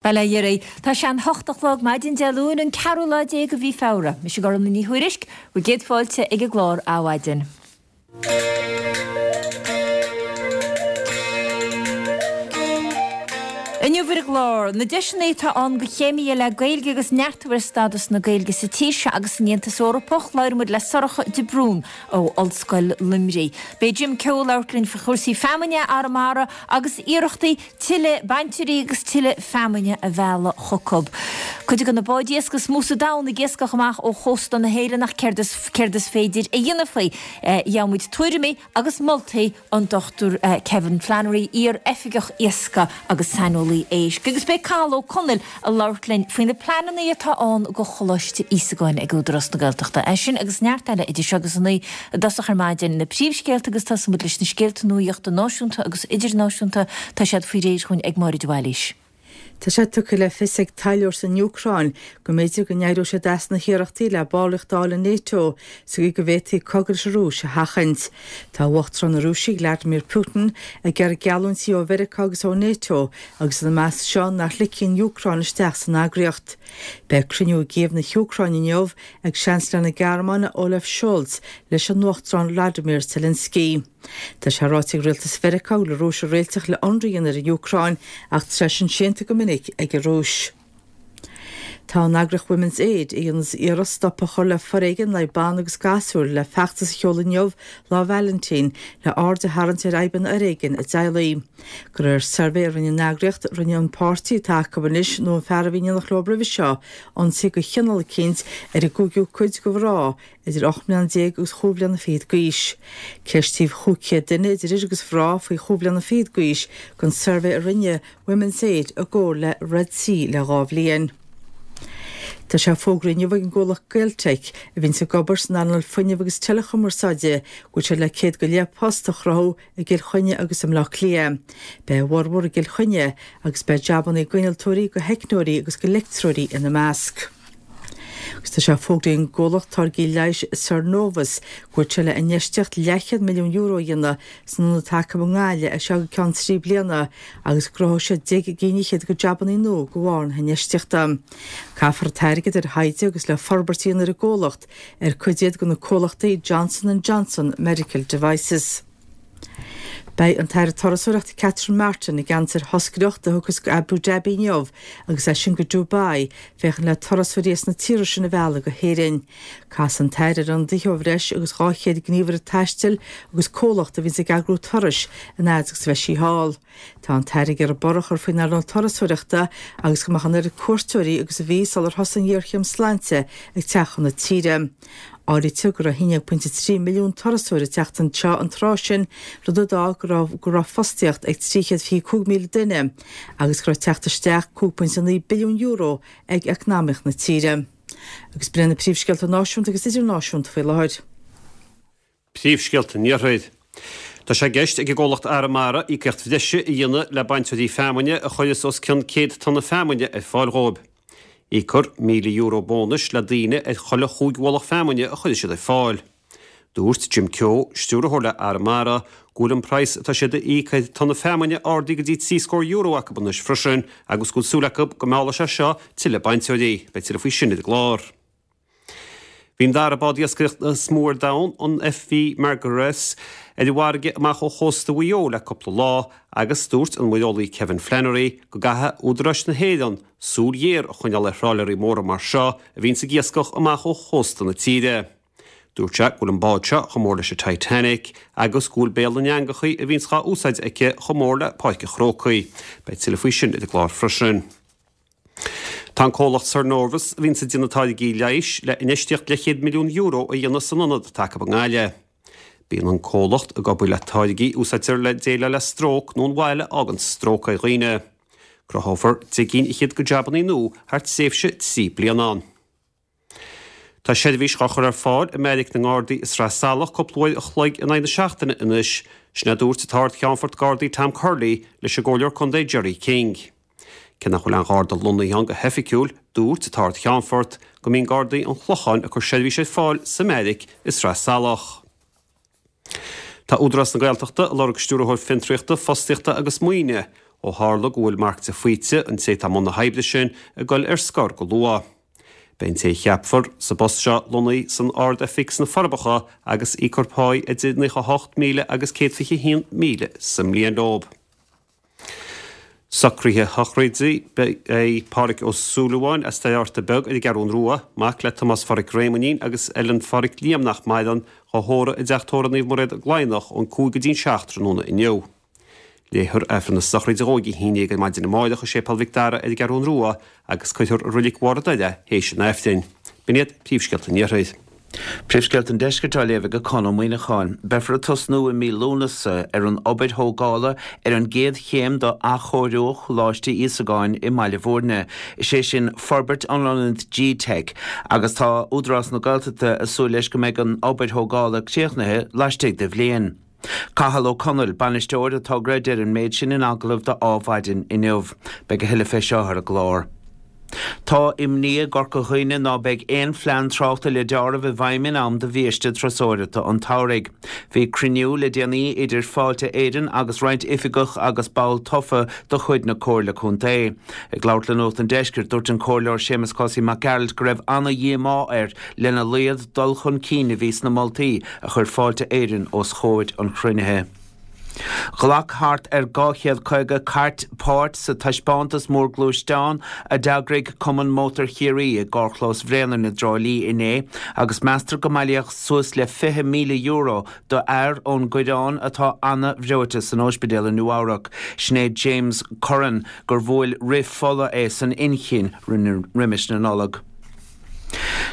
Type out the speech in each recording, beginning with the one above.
Bail ó Dhia oraibh. Tá sé an hocht a chlog maidin Dé Luain an ceathrú lá de mhí Feabhra. Mise Gormlaith Ní Thuairisg, bhur gcéad fáilte ag an gclár Adhmhaidin. Inniu ar an gclár, na deiseanna atá ann do chéimithe le Gaeilge agus neartú ar stádas na Gaeilge sa tír seo agus san Aontas Eorpach, labhróidh muid le Sorcha de Brún ó Ollscoil Luimnigh. Beidh Jim Keogh ag labhairt linn faoi chúrsaí feamainne Arramara agus iarrachtaí tuilleadh bainteoirí agus tuilleadh feamainne a mhealladh chucu. Cuid de na báid iascaigh is mó sa domhan ag iascach amach ó chósta na hÉireann ach céard is céard is féidir a dhéanamh faoi? Gheobhaidh muid tuairimí agus moltaí ón Dr Kevin Flannery, iar-oifigeach iascaigh agus saineolaí éisc. Agus beidh Cathal Ó Conaill ag labhairt linn faoi na pleananna atá ann do Choláiste Íosagáin ag Údarás na Gaeltachta. É sin agus neart eile idir seo agus a 9 i dtosach ar maidin. Na príomhscéalta agus tosóidh muid leis na scéalta nuaíochta náisiúnta agus idirnáisiúnta. Tá siad faoi réir chugainn ag Máire de Bhailís. Tá sé tugtha le fios ag taidhleoir san Úcráin go mb'fhéidir go n-éireodh siad as na hiarrachtaí le ballraíocht a fháil in Nato sa gcaoi go bhféadfaí cogadh leis an Rúis a sheachaint. Tá Uachtarán na Rúise Vladimir Putin ag iarraidh geallúintí ó Mheiriceá agus ó Nato agus ina measc seo nach ligfí an Úcráin isteach san eagraíocht. Beidh cruinniú i gCív na hÚcráine inniu ag Seansailéir na Gearmáine Olaf Scholz leis an Uachtarán Vladimir Zelensky. Tá sé ráite ag rialtas Mheiriceá go bhfuil an Rúis ag réiteach le ionradh a dhéanamh ar an Úcráin ach tá sé sin séanta go minic ag an Rúis. Tá an eagraíocht Women's Aid ag déanamh iarracht stop a chur le foréigean in aghaidh ban agus gasúir le feachtas a sheoladh inniu, Lá Vailintín, le aird a tharraingt ar fhadhb an fhoréigin i dteaghlaigh. De réir suirbhé a rinne an eagraíocht, rinne an páirtí atá acu anois nó an fear a bhí in éineacht leo roimhe seo ionsaí de chineál eicínt ar an gcúigiú cuid de mhná idir 18 mbliana agus chúig bhliana fichead d'aois. Ceistíodh 500 duine idir fhir agus mhná faoi chúig bhliana fichead d'aois don suirbhé a rinne Women's Aid i gcomhar le Red C le dhá bhliain. Tá sé fógraithe inniu ag an gcomhlacht Gaeltec, a bhíonns ag obair san earnáil fuinnimh agus teileachumarsáide, go bhfuil siad le 100 go leith post a chruthú i gCill Chainnigh agus i mBleá Cliath. Beidh a bhformhór i gCill Chainnigh agus beidh jabannaí d'innealtóirí, do theicneoirí agus do leictreoirí ina measc. Agus tá sé fógraithe ag an gcomhlacht táirgí leighis Sernovus go bhfuil sé le infheistíocht leathchéad milliún euro a dhéanamh san ionad atá acu i nGaillimh as seo go ceann 3 bliana agus go gcruthóidh siad deich gcinn fhichead de jabannaí nua de bharr na hinfheistíochta. Caithfear an t-airgead ar thaighde agus le forbairt a dhéanamh ar an gcomhlacht, ar cuid iad de na comhlachtaí Johnson and Johnson Medical Devices. Beidh an tAire Turasóireachta Catherine Martin i gceannas ar thoscaireacht a thiocfas go Abu Dhabi inniu agus as sin go Dubai féachaint le turasóirí as na tíortha sin a mhealladh go hÉirinn. Casfaidh an tAire ar ionadaithe ó bhreis agus 200 gníomhaire taistil agus comhlacht a bhíonns ag eagrú turais an fhad agus a bheidh sí thall. Tá an tAire ag iarraidh borradh a chur faoin earnáil turasóireachta agus go mbeadh an oiread cuairteoirí agus a bhí sular thosaigh an ghéarchéim sláinte ag teacht chun na tíre. Áirítear go raibh 11.3 milliún turasóir ag teacht anseo an tráth sin, rud a d'fhág go raibh go raibh fostaíocht ag 325,000 duine agus go raibh teacht isteach €5.9 billiún ag eacnamaíocht na tíre. Agus b'in iad na príomhscéalta náisiúnta agus idirnáisiúnta faoi láthair. Príomhscéalta an Iarthair. Tá sé i gceist ag an gcomhlacht Arramara íocaíocht bhreise a dhéanamh le bainteoirí feamainne a chuireas os cionn 100 tonna feamainne ar fáil dhóibh. Íocfar €1,000 bónais le daoine ar chuile chúig mhullach feamainne a chuirfidh siad ar fáil. Dúirt Jim Keogh, stiúrthóir le Arramara, go bhfuil an praghas atá siad a íoc ar tonna feamainne ardaithe go dtí trí scór euro acu anois freisin agus go bhfuil súil acu go meallfaidh sé seo tuilleadh bainteoirí. Beidh tuilleadh faoi sin ar an gclár. Bhí an dara bád iascaireachta is mó ar domhan, an FV Margaret, ar an bhfarraige amach ó chósta Mhaigh Eo le cúpla lá agus dúirt an muireolaí Kevin Flannery go gcaithfidh údaráis na hÉireann súil ghéar a choinneáil ar thráiléirí móra mar seo a bhíonns ag iascach amach ó chósta na tíre. Dúirt sé go bhfuil an bád seo chomh mór leis an Titanic agus go bhfuil béal na n-eangachaí a bhíonns dhá úsáid aici chomh mór le Páirc an Chrócaigh. Beidh tuilleadh faoi sin ar an gclár freisin. Tá an comhlacht Sernovus, a bhíonns ag déanamh táirgí leighis, le infheistíocht leathchéad milliún euro a dhéanamh san ionad atá acu i nGaillimh. Bíonn an comhlacht ag obair le táirgí a úsáidtear le déileáil le stróc nó an bhail a fhágann stróc ar dhaoine. Cruthófar deich gcinn fhichead de jabannaí nua thar tréimhse 3 bliana. Tá seirbhís dhá chur ar fáil i mbeairic na nGardaí i Sraith Salach cúpla uair a chloig in aghaidh na seachtaine anois, sin a dúirt an tArd-Cheannfort Gardaí Tom Curley leis an gComhairleoir Contae Gerry King. Cé nach bhfuil aon Gharda lonnaithe ann go hoifigiúil, dúirt an tArd-Cheannfort go mbíonn Gardaí an Chlocháin ag cur seirbhís ar fáil sa mbeairic i Sraith Salach. Tá Údarás na Gaeltachta ag lorg Stiúrthóir Fiontraíochta, Fostaíochta agus Maoine. Ó tharla go bhfuil Mark de Faoite, an té atá i mbun na hoibre sin, ag dul ar scor go luath. Beidh an té a cheapfar sa bpost seo lonnaithe san Ard-Oifig sna Forbacha agus íocfar páí idir 98,000 agus 121,000 sa mbliain leo. Socruithe sochraide Beidh Pádhraic Ó Súilleabháin as Doire Fhatharta Beag ar an gCeathrún Rua, mac le Tomás Phádhraic Réamoinnín agus Ellen Phádhraic Liam nach maireann, dhá thórramh i dteach tórraimh Naomh Mairéad i gCladhnach ón 5 go dtí'n 7 tráthnóna inniu. Léifear Aifreann na sochraide dhó ag a 11 ar maidin amáireach i Séipéal Mhic Dara ar an gCeathrún Rua agus cuirfear i Roilig Bharr an Doire théis an Aifrinn. B'in iad príomhscéalta an Iarthair. Príomhscéalta an Deiscirt á léamh ag Conn Ó Muíneacháin. Beifear ag tosnú i mí Lúnasa ar an obair thógála ar an gcéad chéim d'athchóiriú Choláiste Íosagáin i mBaile Bhúirne, is é sin forbairt an ionaid G-Teic, agus tá Údarás na Gaeltachta ag súil leis go mbeidh an obair thógála críochnaithe laistigh de bhliain. Cathal Ó Conaill, bainisteoir an togra a deir an méid sin in agallamh do Adhmhaidin inniu. Beidh a thuilleadh fé seo ar an gclár. Tá imní i gCorca Dhuibhne ná beidh aon phlean tráchta le deáramh i bhfeidhm in am do bhiaiste turasóireachta an tsamhraidh. Bhí cruinniú le déanaí idir Fáilte Éireann agus roinnt oifigeach agus ball tofa de chuid na Comhairle Contae. Ag labhairt le Nuacht an Deiscirt, dúirt an Comhairleoir Séamus Cosaí Mac Gearailt go raibh ana-dhíomá air lena laghad dul chun cinn a bhí sna moltaí a chuir Fáilte Éireann os chomhair an chruinnithe. Ghlac thart ar 250 cairt páirt sa taispeántas mór gluaisteán a d'eagraigh Cumann Mótar Chiarraí i gcarrchlós Bhréanainn i dTrá Lí inné agus meastar go mbailíodh suas le €20,000 do fhear ón gCoireán atá ana-bhreoite san óispidéal i Nua-Eabhrac. Sin é James Curran gur bhuail rith fola é san inchinn roimis na Nollag.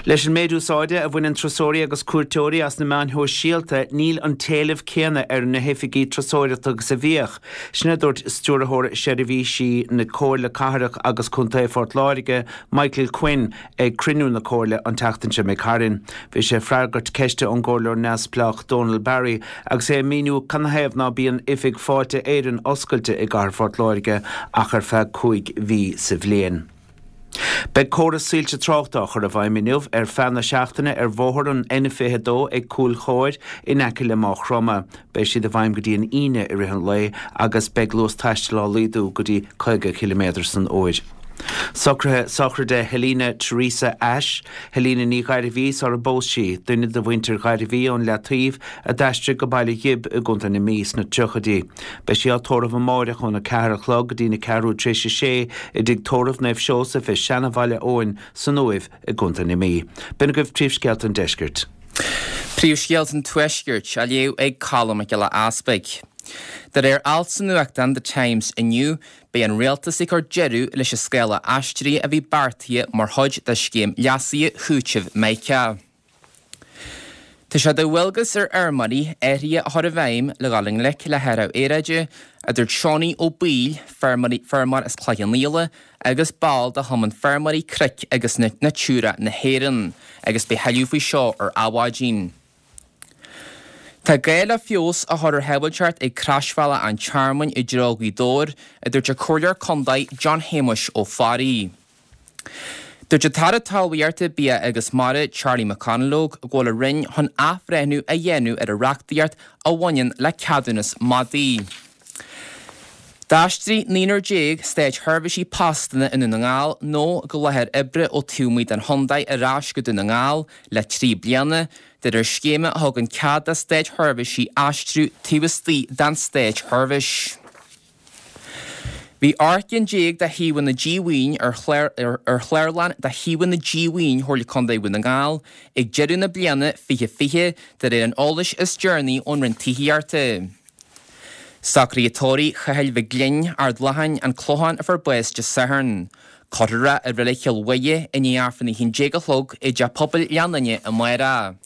Leis an méid úsáide a bhaineann turasóirí agus cuairteoirí as na meáin shóisialta, níl an t-éileamh céanna ar na hoifigí turasóireachta agus a bhíodh. Sin a dúirt Stiúrthóir Seirbhísí na Comhairle Cathrach agus Contae Phort Láirge, Michael Quinn, ag cruinniú na Comhairle an tseachtain seo imigh tharainn. Bhí sé ag freagairt ceiste ón gComhairleoir neamhspleách Donal Barry agus é ag míniú canathaobh ná bíonn oifig Fáilte Éireann oscailte i gcathair Phort Láirge ach ar feadh 5 mhí sa bhliain. Beidh córas soilse tráchta á chur i bhfeidhm inniu ar feadh na seachtaine ar bhóthar an N22 ag Cúil Chomhair in aice le Máigh Chromtha. Beidh siad i bhfeidhm go dtí an Aoine i rith an lae agus beidh luas taistil á laghdú go dtí 50 ciliméadar san uair. Socruithe sochraide Helena Teresa Ashe, Helena Ní Ghairbhí sara bpós sí, duine de mhuintir Ghairbhí ón Leataoibh a d'aistrigh go Baile Ghib i gContae na Mí sna tríochaidí. Beidh sí á tórramh amáireach óna ceathair a chlog go dtí na ceathrú tar éis a sé i dTigh Tórraimh Naomh Seosamh i Seana-Bhaile Eoin san Uaimh i gContae na Mí. B'in agaibh príomhscéalta an deiscirt. Príomhscéalta an Tuaiscirt á léamh ag Colm Mac Giolla Easpaig. De réir alt sa nuachtán The Times inniu, beidh an rialtas ag cur deireadh leis an scála aistrithe a bhí beartaithe mar chuid de scéim leasaithe chúitimh Mica. Tá sé de dhualgas ar fheirmeoirí athruithe a chur i bhfeidhm le dhul i ngleic le hathrú aeráide, a dúirt Seánie Ó Baoill, feirmeoir as Cloich Cheann Fhaola agus ball de Chumann Feirmeoirí Cnoic agus Natura na hÉireann, agus beidh thuilleadh faoi seo ar Adhmhaidin. Tá gá le feabhas a chur ar shábháilteacht ag Croisbhealach an Tearmainn i dtreo Ghaoth Dobhair, a dúirt an Comhairleoir Contae John Shéamuis Ó Fearraigh. Dúirt an tAire Talmhaíochta, Bia agus Mara, Charlie McConalogue, go bhfuil a Roinn chun athbhreithniú a dhéanamh ar an reachtaíocht a bhaineann le ceadúnas madaí. D'aistrigh naonúr státsheirbhísigh postanna i nDún na nGall nó go láthair oibre ó taobh amuigh den chontae ar ais go Dún na nGall le 3 bliana, de réir scéime a thugann cead do státsheirbhísigh aistriú taobh istigh den státsheirbhís. Bhí 18 gcinn de shuíomhanna díomhaoin ar chlárlann de shuíomhanna díomhaoin Chomhairle Contae Dhún na nGall ag deireadh na bliana 2020, de réir an eolais is deireanaí ón Roinn Tithíochta. Socruithe tórraimh Chathail Mhic Gloinn, Ard Latháin, An Clochán a fuair bás Dé Sathairn. Cuirfear é i Reilig Chill Mhuire i ndiaidh Aifreann 11 a chlog i dTeach Pobail Ghleann Fhinne amárach.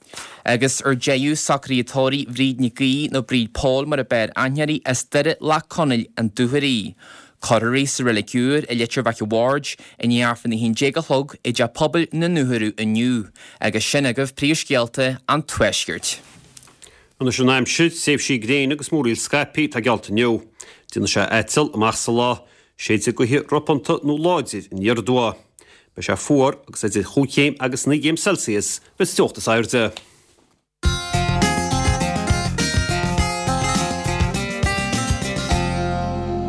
Agus ar deireadh, socruithe tórraimh Bhríd Nic Aoidh, nó Bríd Phóil mar a b'fhearr aithne uirthi, as Doire Leac Conaill, An Dúchoraidh. Cuirfear í sa Reilig Úr i Leitir Mhic a' Bhaird i ndiaidh Aifreann 11 a chlog i dTeach Pobail na nDúchoradh inniu. Agus sin agaibh príomhscéalta an Tuaiscirt. Anois an aimsir, tréimhsí gréine agus múraíl scaipthe atá geallta inniu. Déanfaidh sé aiteal amach sa lá. Séidfidh gaotha ropánta nó láidir aniar aduaidh. Beidh sé fuar agus idir chúig chéim agus naoi gcéim Celsius an teocht is airde.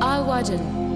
Adhmhaidin.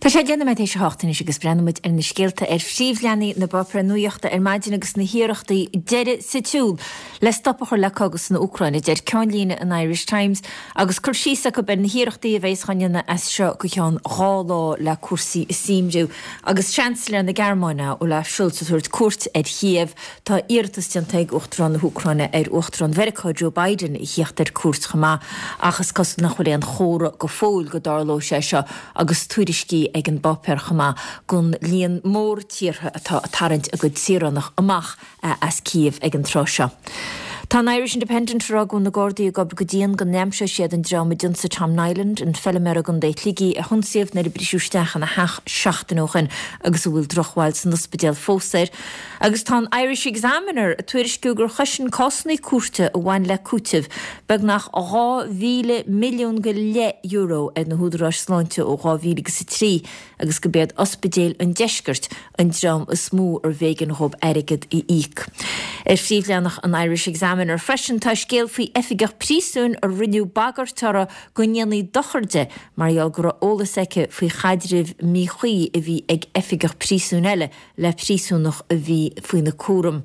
Tá sé 10 nóiméad théis a hocht anois agus breathnóidh muid ar na scéalta ar phríomhleathanaigh na bpáipéar nuachta ar maidin agus na hiarrachtaí deiridh sa tsiúl le stop a chur le cogadh san Úcráin, a deir ceannlíne an Irish Times agus cur síos acu ar na hiarrachtaí a bheas á ndéanamh as seo go ceann 2 lá le cúrsaí a shuaimhniú. Agus Seansailéir na Gearmáine, Olaf Scholz, ag tabhairt cuairt ar Chíév, tá iarratas déanta ag Uachtarán na hÚcráine ar Uachtarán Mheiriceá Joe Biden a thíocht ar cuairt chomh maith ach is cosúil nach bhfuil aon chomhartha go fóill go dtarlóidh sé seo. agus tuairiscí ag an bpáipéar chomh maith gon líon mór tíortha atá ag tarraingt a gcuid saoránach amach as Kyiv ag an tráth seo. Tá an Irish Independent ag rá go bhfuil na Gardaí ag obair go dian go n-aimseoidh siad an dream a d'ionsaigh Tom Niland, an feilméara i gContae Shligigh a hionsaíodh nuair a briseadh isteach ina theach seachtain ó shin agus a bhfuil drochbhail san ospidéal fós air. Agus tá an Irish Examiner ag tuairisciú gur chosain cásanna cúirte a bhain le cúiteamh beagnach 2,000 milliún go leith euro ar na húdaráis sláinte ó 2003 agus go b'iad ospidéil an deiscirt an dream is mó arbh éigean dhóibh airgead a íoc. Ar phríomhleathanach an Irish Examiner freisin tá scéal faoi oifigeach príosúin a rinneadh bagairt uirthi go ndéanfaí dochar di mar gheall go raibh eolas aici faoi chaidreamh míchuí a bhí ag oifigeach príosúin eile le príosúnach a bhí faoina cúram.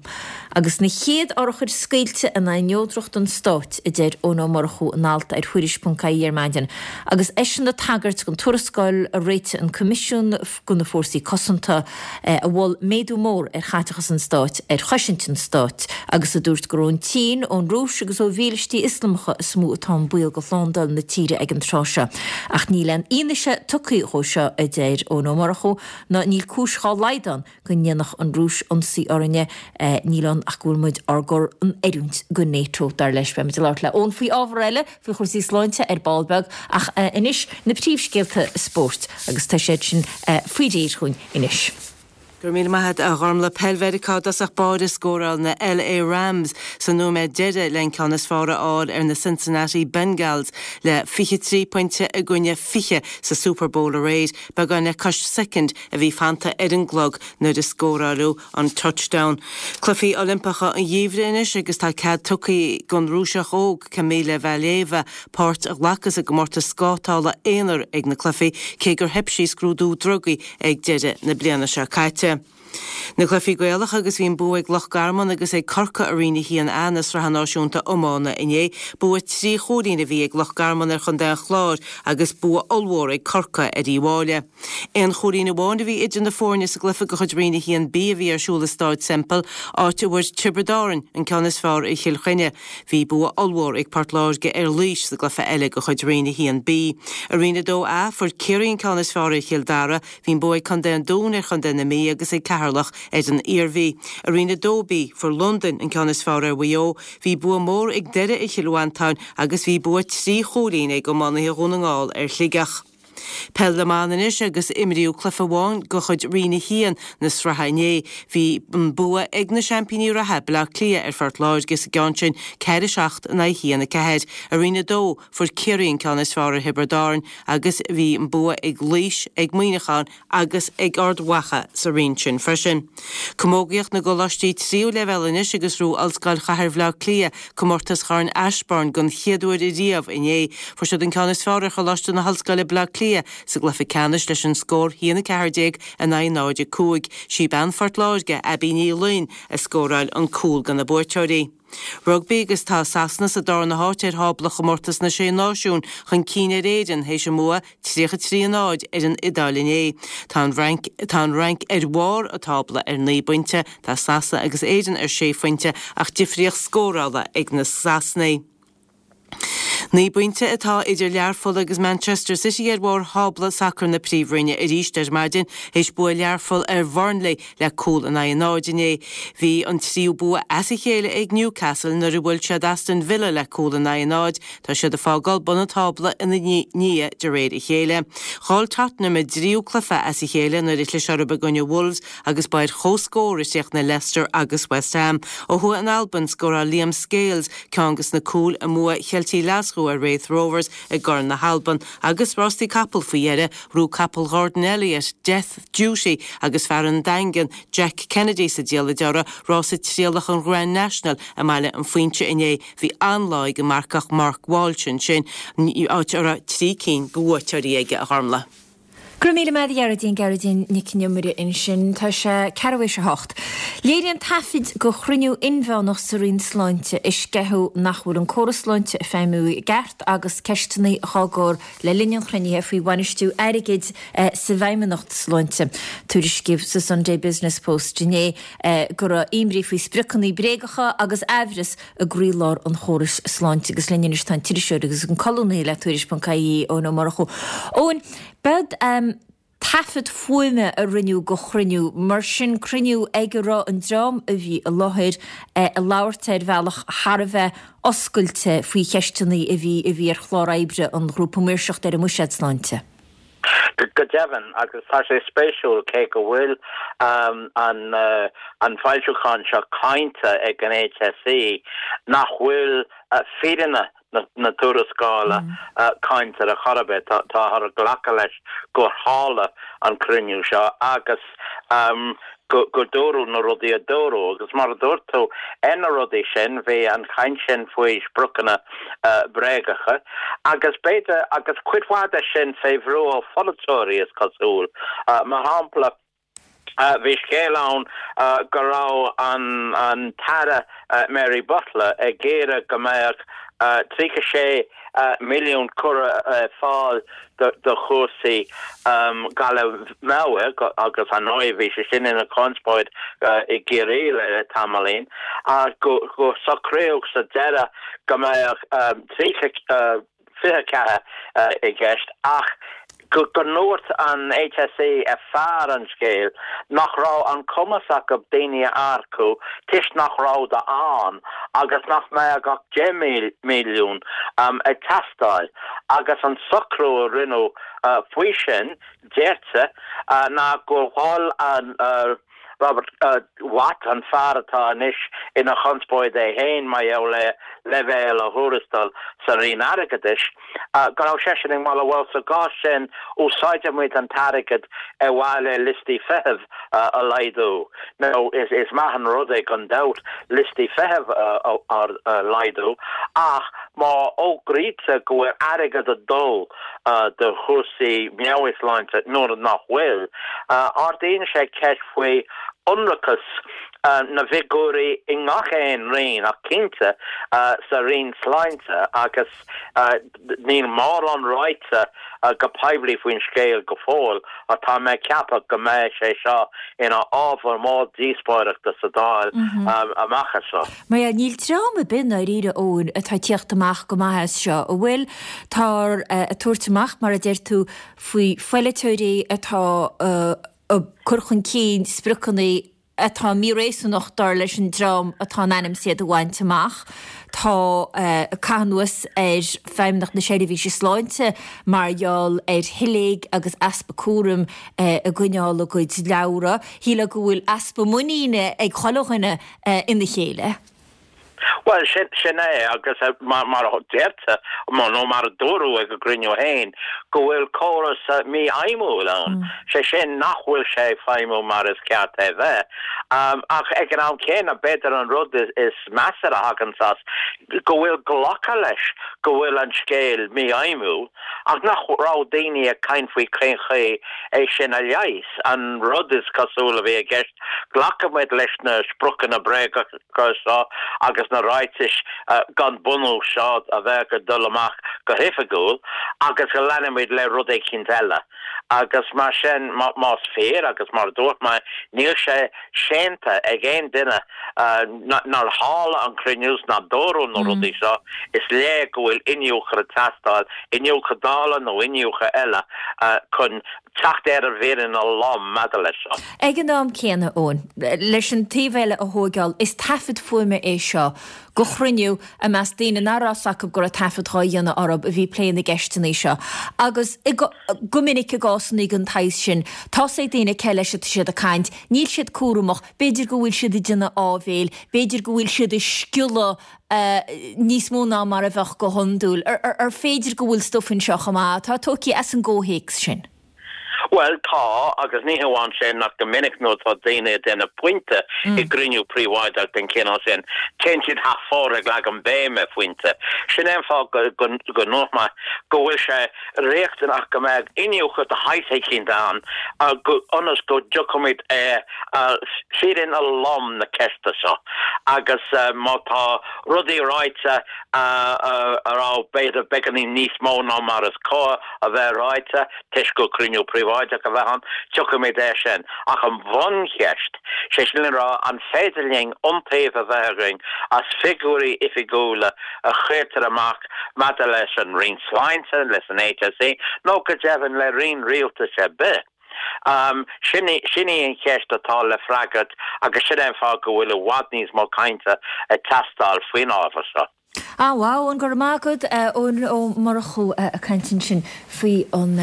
Agus na chéad urchair scaoilte in aghaidh neodracht an stáit, a deir Eoin Ó Murchú in alt ar Thuairisc.ie ar maidin, agus eisean ag tagairt don tuarascáil a réitigh an Coimisiún do na Fórsaí Cosanta a mhol méadú mór ar chaiteachas an stáit ar chosaint an stáit agus a dúirt gur ón tSín, ón Rúis agus ó mhílístí Ioslamacha is mó atá an baol do shlándáil na tíre ag an tráth seo. Ach níl aon fhianaise tugtha dhó seo, a deir Eoin Ó Murchú. Ná níl cúis dhá laghad ann go ndéanfadh an Rúis ionsaí orainne, níl ann ach go bhfuil muid ár gcur in oiriúint go NATO, dar leis. Beidh muid ag labhairt le Eoin faoi ábhar eile, faoi chúrsaí sláinte ar ball beag, ach anois na príomhscéalta spóirt agus tá siad sin faoi réir chugainn anois. Go raibh míle maith agat, a Ghormlaith. Peil Mheiriceá i dtosach báire scóráil na LA Rams sa nóiméad deiridh le an ceann is fearr a fháil ar na Cincinnati Bengals le 23 pointe i gcoinne 20 sa Super Bowl aréir. Beagán le cois soicind a bhí fanta ar an gclog nuair a scóráileadh an touchdown. Cluichí Oilimpeacha an Gheimhridh anois agus tá cead tugtha don Rúiseach óg Kamila Valieva páirt a ghlacadh sa gcomórtas scátála aonair ag na cluichí cé gur theip sí scrúdú drugaí ag deireadh na bliana seo caite. Na cluichí Gaelacha agus bhí an bua ag Loch Garman agus ag Corcaigh i Roinn 1A na Sraithe Náisiúnta Iomána inné. Bua 3 chúilín a bhí ag Loch Garman ar Chontae an Chláir agus bua ollmhór ag Corcaigh ar Uíbh Fhailí. Aon chúilín amháin a bhí idir na foirne sa gcluiche de chuid Roinn 1B a bhí ar siúl i Stáid Semple, áit a bhfuair Tiobraid Árann an ceann is fearr ar Chill Chainnigh. Bhí bua ollmhór ag Port Láirge ar Laois sa gcluiche eile de chuid Roinn 1B. I Roinn 2A, fuair Ciarraí an ceann is fearr ar Chill Dara. Bhí an bua ag Contae an Dúin ar Chontae na Mí agus ag Ceatharlach ar an Iarmhí. I Roinn 2B, fuair Londain an ceann is fearr ar Mhaigh Eo. Bhí bua mór ag Doire ar Chill Mhantáin agus bhí bua 3 chúilín ag iománaithe Dhún na nGall ar Shligeach. Peil na mBan anois agus imríodh cluiche amháin de chuid Roinn 1 na sraithe inné. Bhí an bua ag na seaimpíní reatha, Baile Átha Cliath ar Phort Láirge sa gceann sin, 4, 7 in aghaidh 1, 4. I Roinn 2, Fuair Ciarraí an ceann is fearr ar Thiobraid Árann agus bhí an bua ag Laois, ag Muineachán agus ag Ard Mhacha sa roinn sin freisin. Camógaíocht na gcoláistí tríú leibhéal anois agus ghnóthaigh Ollscoil Chathair Bhaile Átha Cliath comórtas Chorn Ashbourne den chéad uair riamh inné. Fuair siad an ceann is fearr ar Choláiste na hOllscoile Baile Átha Cliath sa gcluiche ceannais leis an scór 1-14 in aghaidh 0-5. Sí bean Phort Láirge, Abbie Ní Fhloinn, a scóráil an cúl do na buaiteoirí. Rugbaí agus tá Sasana sa darna háit ar thábla chomórtas na Sé Náisiún chun cinn ar Éirinn théis a mbua 33 0 ar an Iodáil inné. Tá an Fhrainc tá an Fhrainc ar bharr an tábla ar 9 bpointe, tá Sasana agus Éirinn ar 6 phointe ach difríocht scórála ag na Sasanaigh. 9 bpointe atá idir Learpholl agus Manchester City ar bharr thábla sacair na Príomhroinne arís ar maidin théis bua Learpholl ar Bhurnley le cúl in aghaidh a náid inné. Bhí an tríú bua as a chéile ag Newcastle nuair a bhuail siad Aston Villa le cúl in aghaidh a náid. Tá siad ag fágáil bun an tábla ina ndiaidh de réir a chéile. Chaill Tottenham a dtríú cluiche as a chéile nuair a chlis orthu i gcoinne Wolves agus ba ar comhscór a chríochnaigh Leicester agus West Ham. Ó thuaidh in Albain, scóráil Liam Scales ceann de na cúil i mbua Cheiltigh Ghlaschú ar Raith Rovers i gCorn na hAlban agus rástaí capall faoi dheireadh, ghnóthaigh capall Ghordon Elliott, Death Duty agus fear an Daingin, Jack Kennedy sa diallait orthu, rása trialach an Grand National i mBaile an Phuínse inné. Bhí an-lá ag an marcach Mark Walsh ansin, áit a raibh 3 cinn de bhuaiteoirí aige, a Ghormlaith. Go raibh míle maith agat a Ghearóidín, Gearóidín Nic an Iomaire ansin. Tá sé ceathrú théis a hocht. Léiríonn taifid de chruinniú inmheánach sa Roinn Sláinte a sceitheadh nach bhfuil an córas sláinte ag feidhmiú i gceart agus ceisteanna dhá gcur le linn an chruinnithe faoi bhainistiú airgid sa bhFeidhmeannacht Sláinte. Tuairiscíodh sa Sunday Business Post inné go raibh imní faoi spriocanna bréagacha agus aimhreas i gcroílár an chórais sláinte agus linn anois tá an t-iriseoir agus an colúnaí le Tuairisc.ie, Eoin Ó Murchú. Eoin, b'ead taifead fuaime a rinneadh de chruinniú, mar sin cruinniú ag a raibh an dream a bhí i láthair ag labhairt ar bhealach thar a bheith oscailte faoi cheisteanna a bhí a bhí ar chlár oibre an Ghrúpa Maoirseachta ar an mBuiséad Sláinte. Go deimhin, agus tá sé spéisiúil, cé go bhfuil an foilseachán seo cáinte ag an HSE, nach bhfuil fírinne na tuarascála cáinte ar chor ar bith. Táthar ag glacadh leis gur tharla an cruinniú seo agus go dúradh na rudaí a dúradh. Agus mar a dúirt tú, ar na rudaí sin, bhí an chaint sin faoi spriocanna bréagacha agus b'fhéidir, agus cuid mhaith de sin fé bhrú ó pholaiteoirí, is cosúil. Mar shampla, bhí scéal ann go raibh an tAire Mary Butler ag iarraidh go mbeadh 36 milliún curtha ar fáil do chúrsaí galar meabhair agus ar ndóigh bhí sé sin ina chonspóid i gCiarraí le tamaillín ach go socraíodh sa deireadh go mbeadh 30 24 i gceist ach go ndúirt an HSE ar fear an scéil nach raibh an cumas acu daoine a earcú toisc nach rabhadar ann agus nach mbeadh ach 10 milliún ag teastáil agus an socrú a rinneadh faoi sin, deirtear, ná gur mhol an Robert Watt, an fear atá anois ina chonspóid é féin mar gheall ar leibhéal a thuarastail sa Roinn Airgeadais, go raibh seisean ag moladh, bhuel, sa gcás sin, úsáidfidh muid an t-airgead ar mhaithe le liostaí feithimh a laghdú. Now, is maith an rud é gan dabht liostaí feithimh a laghdú ach má fhógraítear go bhfuil airgead ag dul do chúrsaí meabhairshláinte nuair nach bhfuil, ardaíonn sé ceist faoi ionracas na bhfigiúirí i ngach aon roinn ach cinnte sa Roinn Sláinte agus níl mórán ráite go poiblí faoin scéal go fóill ach tá mé ag ceapadh go mbeidh sé seo ina ábhar mór díospóireachta sa Dáil amach anseo. Mar ea, níl dream ar bith i ndáiríre, Eoin, atá ag tíocht amach go maith as seo, an bhfuil? Táthar ag tabhairt amach, mar a deir tú, faoi pholaiteoirí atá ag cur chun cinn spriocanna atá míréasúnach dar leis an dream atá in ainm is iad a bhaint amach. Tá caitheamh anuas ar Feidhmeannacht na Seirbhíse Sláinte mar gheall ar shiléig agus easpa cúraim i gcoinneáil a gcuid leabhra. Shílfeá go bhfuil easpa muiníne ag chuile dhuine ina chéile. Bhuel, sin, sin é, agus mar, mar a deirtear, nó mar a dúradh ag an gcruinniú féin, go bhfuil córas mífheidhmiúil ann, sé sin nach bhfuil sé ag feidhmiú mar is ceart é bheith. Ach ag an am céanna, b'fhéidir an rud is measa a thagann as, go bhfuil glactha leis go bhfuil an scéal mífheidhmiúil, ach nach raibh daoine ag caint faoi cén chaoi é sin a leigheas. An rud is cosúil a bhí i gceist Glacfaidh muid leis na spriocanna bréagacha seo agus na ráitis gan bunús seo a bheadh ag dul amach go hoifigiúil agus go leanfaidh muid le rud éicint eile. Agus mar sin, más fíor, agus mar a dúirt mé, níl sé séanta ag aon duine nár tharla an cruinniú 's nár dúradh na rudaí seo, is léir go bhfuil iniúchadh ag teastáil, iniúchadh Dála nó iniúchadh eile chun teacht ar an bhfírinne lom maidir leis seo. Ag an am céanna, Eoin, leis an taobh eile a thóigeáil, is taifead fuaime é seo de chruinniú i measc daoine nach raibh 's acu go raibh taifead dhá dhéanamh orthu a bhí ag plé na gceisteanna seo. Agus go minic i gcásanna den tsaghas sin, tá's ag daoine cé leis atá siad ag caint, níl siad cúramach, b'fhéidir go bhfuil siad ag déanamh áibhéil, b'fhéidir go bhfuil siad ag sciolladh níos mó ná mar a bheadh go hiondúil. Ar féidir go bhfuil stuif anseo chomh maith atá tógtha as an gcomhthéacs sin? Bhuel, tá, agus ní hamháin sin, ach go minic nuair atá daoine ag déanamh pointe i gcruinniú príobháideach den chineál sin, téann siad thar fóir ag leagan béim ar phointe. Sin é an fáth go ndúirt mé go bhfuil sé riachtanach go mbeadh iniúchadh de shaghas eicínt ann ionas go dtiocfaimid ar fírinne lom na ceiste seo agus má tá rudaí ráite a raibh b'fhéidir beagáinín níos mó ná mar is cóir a bheith ráite, toisc gur cruinniú príobháideach a bheith ann, tiocfaimid air sin. Ach an bhuncheist, sé sin le rá, an féidir linn iontaoibh a bheith againn as figiúirí oifigiúla a chuirtear amach maidir leis an Roinn Sláinte, leis an HSE, nó go deimhin le roinn rialtais ar bith? Sin í an cheist atá le freagairt agus sin é an fáth go bhfuil i bhfad níos mó cainte ag teastáil faoin ábhar seo. Ah wow, Eoin, go raibh maith agat, Eoin Ó Murchú ag caint ansin faoi an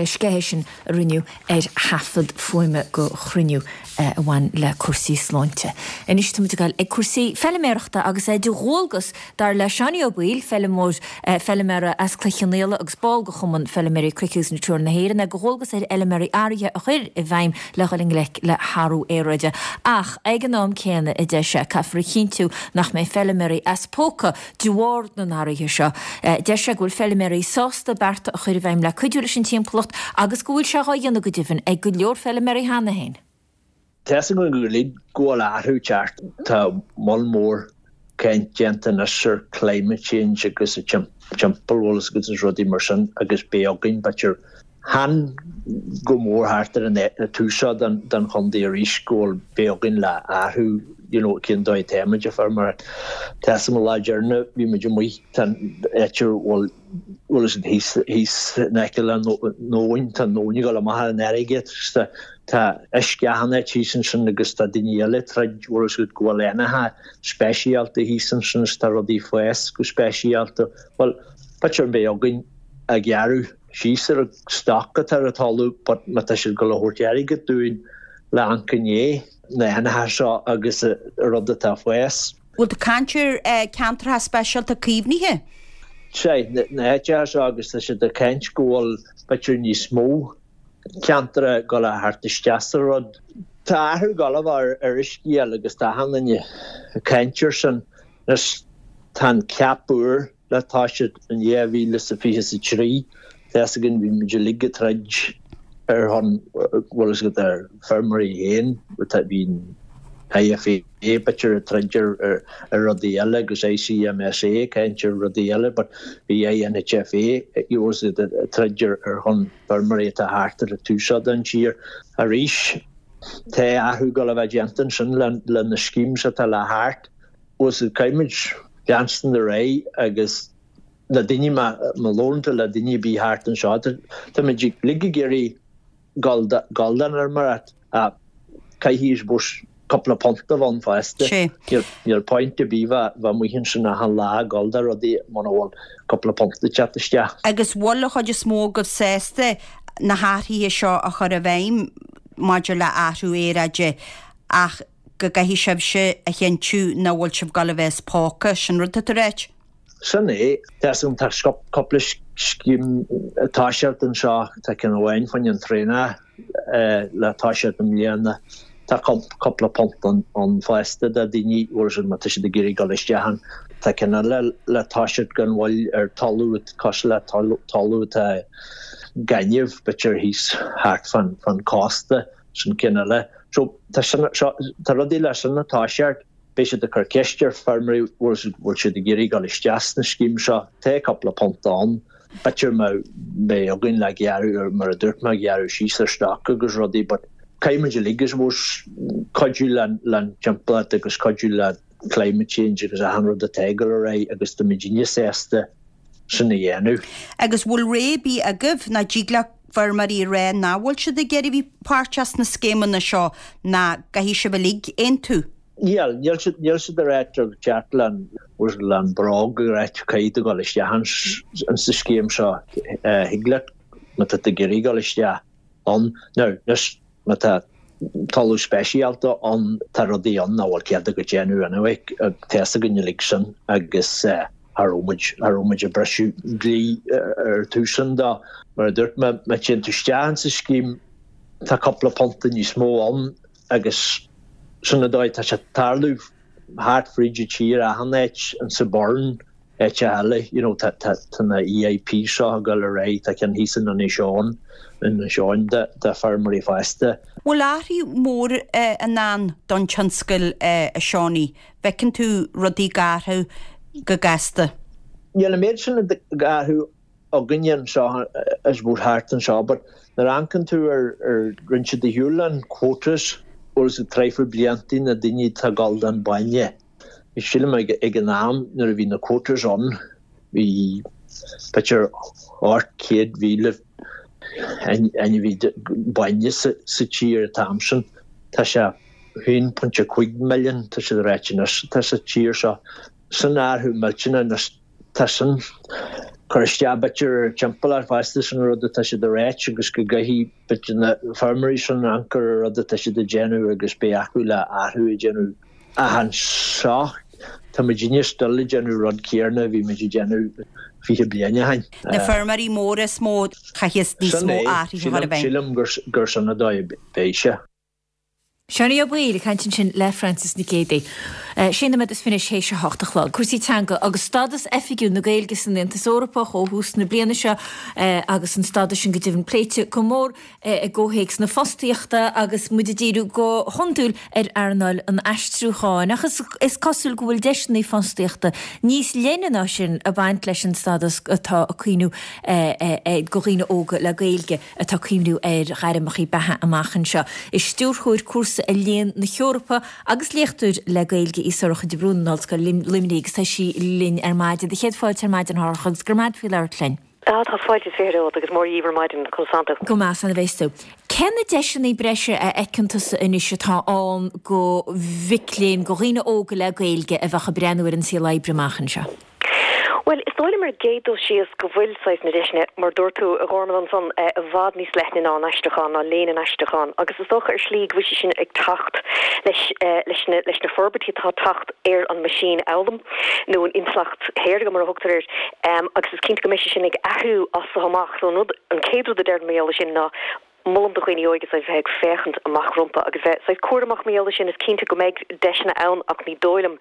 sceitheadh sin a rinneadh ar thaifead fuaime de chruinniú a bhain le cúrsaí sláinte. Anois tá muid ag dul ag cúrsaí feiliméarachta agus é de dhualgas, dar le Seánie Ó Baoill, feilimeoir, feiliméara as Cloich Cheann Fhaola agus ball de Chumann Feiliméaraí Cnoic agus Natura na hÉireann, é de dhualgas ar fheiliméaraí athruithe a chur i bhfeidhm le dhul i ngleic le hathrú aeráide. Ach ag an am céanna, a deir sé, caithfear a chinntiú nach mbeidh feiliméaraí as póca de bharr na n-athruithe seo. Deir sé go bhfuil feiliméaraí sásta bearta a chur i bhfeidhm le cuidiú leis an timpeallacht agus go bhfuil sé dhá dhéanamh go deimhin ag go leor feiliméaraí cheana féin. Tá a fhios againn go uilig go bhfuil athrú ag teacht. Tá moll mór caint déanta anois ar climate change agus an timpeall bhfuil fhios agat agus rudaí mar sin agus beidh againn b'fhéidir chan go mór thart ar an tús seo den chontae arís go bhfuil beidh againn le athrú you know cén dóigh atáimid ag feirmeoireacht. Tá fhios agam an lá deireanach bhí muid amuigh tá an áit a bhfuil bhfuil fhios agat thíos thíos in aice le an abhainn tá an abhainn ag dul amach ar an fharraige agus tá tá uisce achan áit thíos ansin agus tá daoine eile ag troid bhfuil fhios agat go bhfuil éanacha speisialta thíos ansin is tá rudaí ag fás go speisialta. Bhuel b'fhéidir beidh againn ag gearradh síos ar an stoc atá ar an talamh but má tá siad ag dul a thabhairt airgead dúinn le amharc i ndiaidh na héanacha seo agus an rud atá ag fás. Bhfuil tú ag caint ar ceantracha speisialta caomhnaithe? Sea, na háiteacha seo agus tá siad ag caint go bhfuil b'fhéidir níos mó ceantar ag dul a theacht isteach sa rud. Tá athrú ag dul a bheith ar uisce agus tá achan duine ag caint ar sin. Anois tá an cap úr le toiseacht in 2023. Tá fhios againn bhí muid uilig ag troid ar shon, bhfuil fhios agat, ar feirmeoirí féin, bhí an IFA b'fhéidir ag troid ar rudaí eile agus ICMSA ag caint ar rudaí eile but bhí INHFA ag troid ar shon feirmeoirí atá thart ar an tús seo den tír. Arís, tá athrú ag dul a bheith déanta ansin le na schemes atá le theacht. Bhfuil fhios agat, caithfimid leanstan ar aghaidh agus na daoine, má labhrann tú le daoine ar bith thart anseo, táimid uilig ag iarraidh dul don fheirmeoireacht ach caithfidh, I suppose, cúpla punt a bheith ann fosta. Níl point ar bith bheith amuigh ansin achan lá ag dul do rudaí muna bhfuil cúpla punt ag teacht isteach. Agus bhfuil an chuid is mó agaibh sásta na hathruithe seo a chur i bhfeidhm maidir le athrú aeráide ach go gcaithfidh sibhse a chinntiú nach bhfuil sibh ag dul a bheith as póca, sin rud atá tú a ráit? Sin é. Tá fhios agam, tá cúpla scéim ag toiseacht anseo, tá ceann amháin fá choinne an traonach le toiseacht i mbliana, tá cúpla punt ann fosta do daoine, bhfuil fhios agat, má tá siad ag iarraidh dul isteach ann. Tá ceann eile le toiseacht gan mhoill ar talamh cosúil le talamh atá gaineamh, b'fhéidir thíos thart fán cósta. Sin ceann eile. So, tá sin, seo, tá rudaí le sin ag toiseacht, beidh siad ag cur ceist ar feirmeoirí bhfuil siad, bhfuil siad ag iarraidh dul isteach sna scéim seo. Tá cúpla punt ann. B'fhéidir má beidh againn le gearradh, mar a dúirt mé, gearradh síos ar stoc agus rudaí but caithfidh muid uilig, I suppose, cuidiú le, le timpeallacht agus cuidiú le climate change agus achan rud atá ag dul ar aghaidh agus tá muidinne sásta sin a dhéanamh. Agus bhfuil rogha ar bith agaibh, nó dtig le feirmeoirí a rá nach bhfuil siad ag iarraidh bheith páirteach sna scéimeanna seo, nó gcaithfidh sibh uilig aontú? Níl, níl siad, níl siad ag ráit ag teacht le le an bróg ag ráit caithfidh tú dul isteach ins sa scéim seo. Thig leat má tá tú ag iarraidh dul isteach ann. Now, anois, má tá talamh speisialta ann, tá rudaí ann nach bhfuil cead agat déanamh anyway, tá fhios againn uilig sin agus. Cha raibh muid, cha raibh muid ag briseadh dlí ar tús an dá. Mar a dúirt mé, má téann tú isteach insa scéim tá cúpla punta níos mó ann agus sin an dóigh, tá sé ag tarlú thart fríd an tír achan áit, insa Burren, áiteacha eile, you know, tá, tá, tá na EIP seo ag dul ar aghaidh, tá ceann thíos in Inis Eoghain, Inis Eoghain do, do feirmeoirí fosta. Bhfuil athrú mór i ndán don tionscal a Seánie? Bhfeiceann tú rudaí ag athrú go gasta? Níl an méid sin ag athrú againne anseo, I suppose, thart anseo, but nuair a amharcann tú ar, ar rinne siad ar shiúl an quotas, bhfuil a fhios agat traidhfil bliantaí na daoine atá ag dul don bainne. Sílim ag ag an am nuair a bhí na quotas ann, bhí b'fhéidir 800,000 ainmhí bainne sa sa tír an t-am sin. Tá sé 1.5 milliún, tá siad ag ráit anois, atá sa tír seo. Sin athrú millteanach anois. Tá sin cur isteach b'fhéidir ar timpeallacht fosta sin rud atá siad a ráit agus go gcaithfidh b'fhéidir na feirmeoirí sin amharc ar an rud atá siad a déanamh agus beidh acu le athrú a déanamh. Ach anseo tá muidinne still ag déanamh rud céarna a bhí muid ag déanamh 20 bliain ó shin. Na feirmeoirí móra is mó a chaithfeas níos Sin mó é, athruithe a chur i sílim, bhfeidhm. sílim gur sin an dóigh a beidh sé. Seánie Ó Baoill ag caint ansin le Frances Nic Géadaigh. Sé nóiméad is fiche théis a hocht a chlog. Cúrsaí teanga agus stádas oifigiúil na Gaeilge san Aontas Eorpach ó thús na bliana seo agus an stádas sin go deimhin pléite go mór i gcomhthéacs na fostaíochta agus muid ag díriú go hiondúil ar earnáil an aistriúcháin. Ach is cosúil go bhfuil deiseanna fostaíochta níos leithne ná sin ag baint leis an stádas atá ag cuimhniú do dhaoine óga le Gaeilge. atá ag cuimhniú ar ghairmeacha beatha amach anseo. Is stiúrthóir cúrsa i Léann na hEorpa agus léachtóir le Gaeilge í Sorcha de Brún in Ollscoil Luimnigh agus tá sí linn ar maidin. Do chéad fáilte ar maidin, a Shorcha, agus go raibh maith agat faoi labhairt linn. Á, tá fáilte is fiche romhat agus mórdhíobh ar maidin, conas tánn tú? Go maith, 's an bhféas tú. Cé na deiseanna breise a fheiceann tusa anois atá ann go mhic léinn, go dhaoine óga le Gaeilge a bheadh ag breathnú ar an saol oibre amach anseo? Bhuel, is dóigh liom ar an gcéad dul síos go bhfuil saghas na deiseanna, mar dúirt tú, a Ghormlaith ansan, i bhfad níos leithne ná an aistriúchán, ná léann an aistriúcháin agus is dócha ar shlí go bhfuil sé sin ag teacht leis, leis na, leis na forbairtí atá ag teacht ar an meaisínfhoghlaim nó an intleacht shaorga mar a thugtar air agus is cinnte go mbeidh sé sin ag athrú as so amach. So an rud, an chéad rud a déarfainn mar gheall air sin ná, Molaim do dhaoine óige saghas bheith ag féachaint amach rompu agus bheith saghas cúramach mar gheall air sin. Is cinnte go mbeidh deiseanna ann ach ní dóigh liom,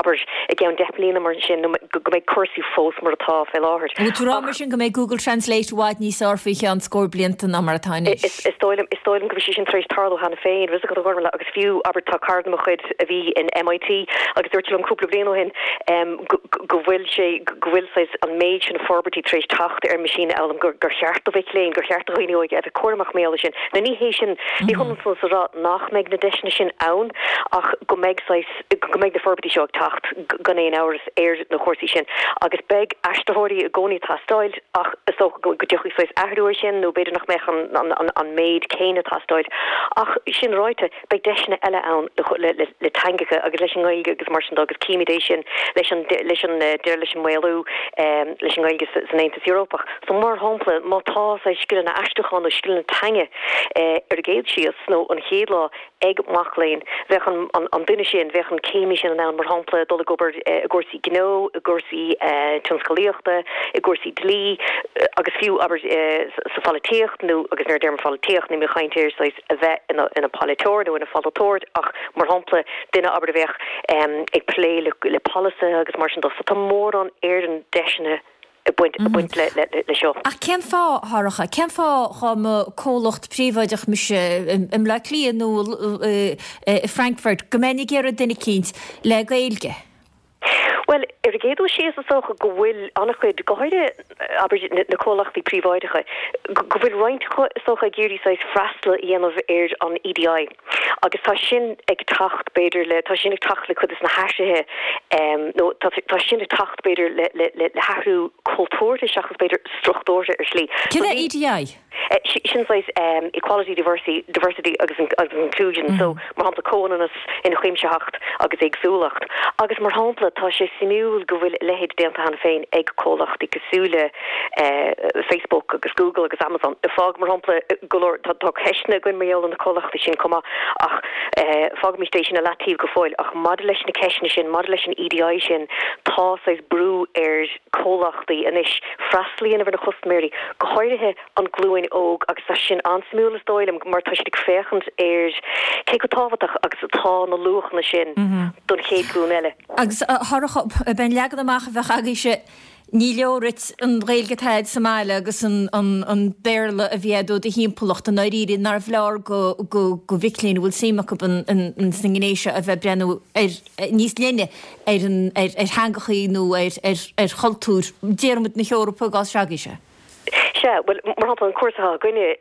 abair, i gceann 10 mbliana mar sin, nó go mbeidh cúrsaí fós mar atá fé láthair. Bhfuil tú ag rá mar sin go mbeidh Google Translate i bhfad níos fearr faoi cheann scór blianta ná mar atá anois? Is dóigh liom, is dóigh liom go bhfuil sé sin tar éis tarlú cheana féin, bhfuil a fhios agat a Ghormlaith, agus fiú, abair, tá cara de mo chuid a bhí in MIT agus dúirt sé liom cúpla bliain ó shin go, go bhfuil sé, go bhfuil saghas an méid sin forbairtí tar éis teacht ar an meaisínfhoghlaim gur gur cheart do mhic léinn, gur cheart do dhaoine óga a bheith cúramach mar gheall air sin. Now ní hé sin, ní hionann san is a rá nach mbeidh na deiseanna sin ann ach go mbeidh saghas, go mbeidh na forbairtí seo ag teacht gan aon amhras ar na cúrsaí sin agus beidh aistritheoirí i gcónaí ag teastáil ach is dócha go dtiocfaidh saghas athrú air sin nó b'fhéidir nach mbeadh an an an méid céanna ag teastáil ach sin ráite, Beidh deiseanna eile ann le teangacha agus leis an nGaeilge agus mar sin de agus címid é sin leis an leis an deireadh leis an maolú leis an nGaeilge san Aontas Eorpach. So mar shampla má tá saghas scileanna aistriúcháin nó scileanna teanga ar an gcéad síos nó an chéad lá ag mac léinn bheadh an an duine sin, bheadh an céimí sin in ann mar shampla dul ag obair i gcúrsaí gnó, i gcúrsaí tionscalaíochta, i gcúrsaí dlí agus fiú abair sa pholaitíocht nó agus nuair a deirim pholaitíocht níl mé ag caint ar saghas a bheith ina pholaiteoir nó ina pholaiteoir ach, mar shampla, duine, abair, a bheadh ag plé le polasaithe agus mar sin de. So tá mórán Éireann deiseanna ag baint ag baint le seo. Ach cén fáth, a Shorcha, cén fáth dhá mba comhlacht príobháideach mise i mBleá Cliath nó i Frankfurt go mbeinn ag iarraidh duine eicínt le Gaeilge? Bhuel, ar an gcéad dul síos, is dócha go bhfuil an-chuid, go háirithe, abair, na comhlachtaí príobháideacha, go bhfuil roinnt acu, is dócha, ag iarraidh saghas freastal a dhéanamh ar an EDI agus tá sin ag teacht, b'fhéidir, le, tá sin ag teacht le cuid de na hathruithe nó tá, tá sin ag teacht, b'fhéidir, le, le, le hathrú cultúrtha seachas, b'fhéidir, struchtúrtha ar shlí. Céard é EDI? Sin saghas equality, diversity, diversity agus inclusion, so mar shampla comhionannas, ionchuimsitheacht agus éagsúlacht. Agus mar shampla tá sé suimiúil go bhfuil a leithéid déanta cheana féin ag comhlachtaí cosúil le Facebook agus Google agus Amazon. Fág mar shampla go leor, tá ceisteanna againn mar gheall ar na comhlachtaí sin chomh maith ach fágaimis é sin i leataobh go fóill. Ach maidir leis na ceisteanna sin, maidir leis an EDI sin, tá saghas brú ar comhlachtaí anois freastal a dhéanamh ar na custaiméirí, go háirithe an glúin óg agus tá sin an-suimiúil is dóigh liom mar tá siad ag féachaint ar cé chomh tábhachtach agus atá na luachanna sin don chéad ghlúin eile. Agus a Shorcha, ab é an leagan amach a bheadh agaibhse, ní leor duit an Ghaeilge atá agat sa mbaile agus an Béarla a bhí agat ó do thimpeallacht, i ndáiríre, nárbh leor do mhic léinn a bhfuil suim acu sna gnéithe seo a bheith ag breathnú ar níos leithne ar an ar theangachaí nó ar ar chultúr, déarfaimid, na hEorpa i gcás s'agaibhse. Sea, bhuel, mar shampla, an cúrsa atá againne,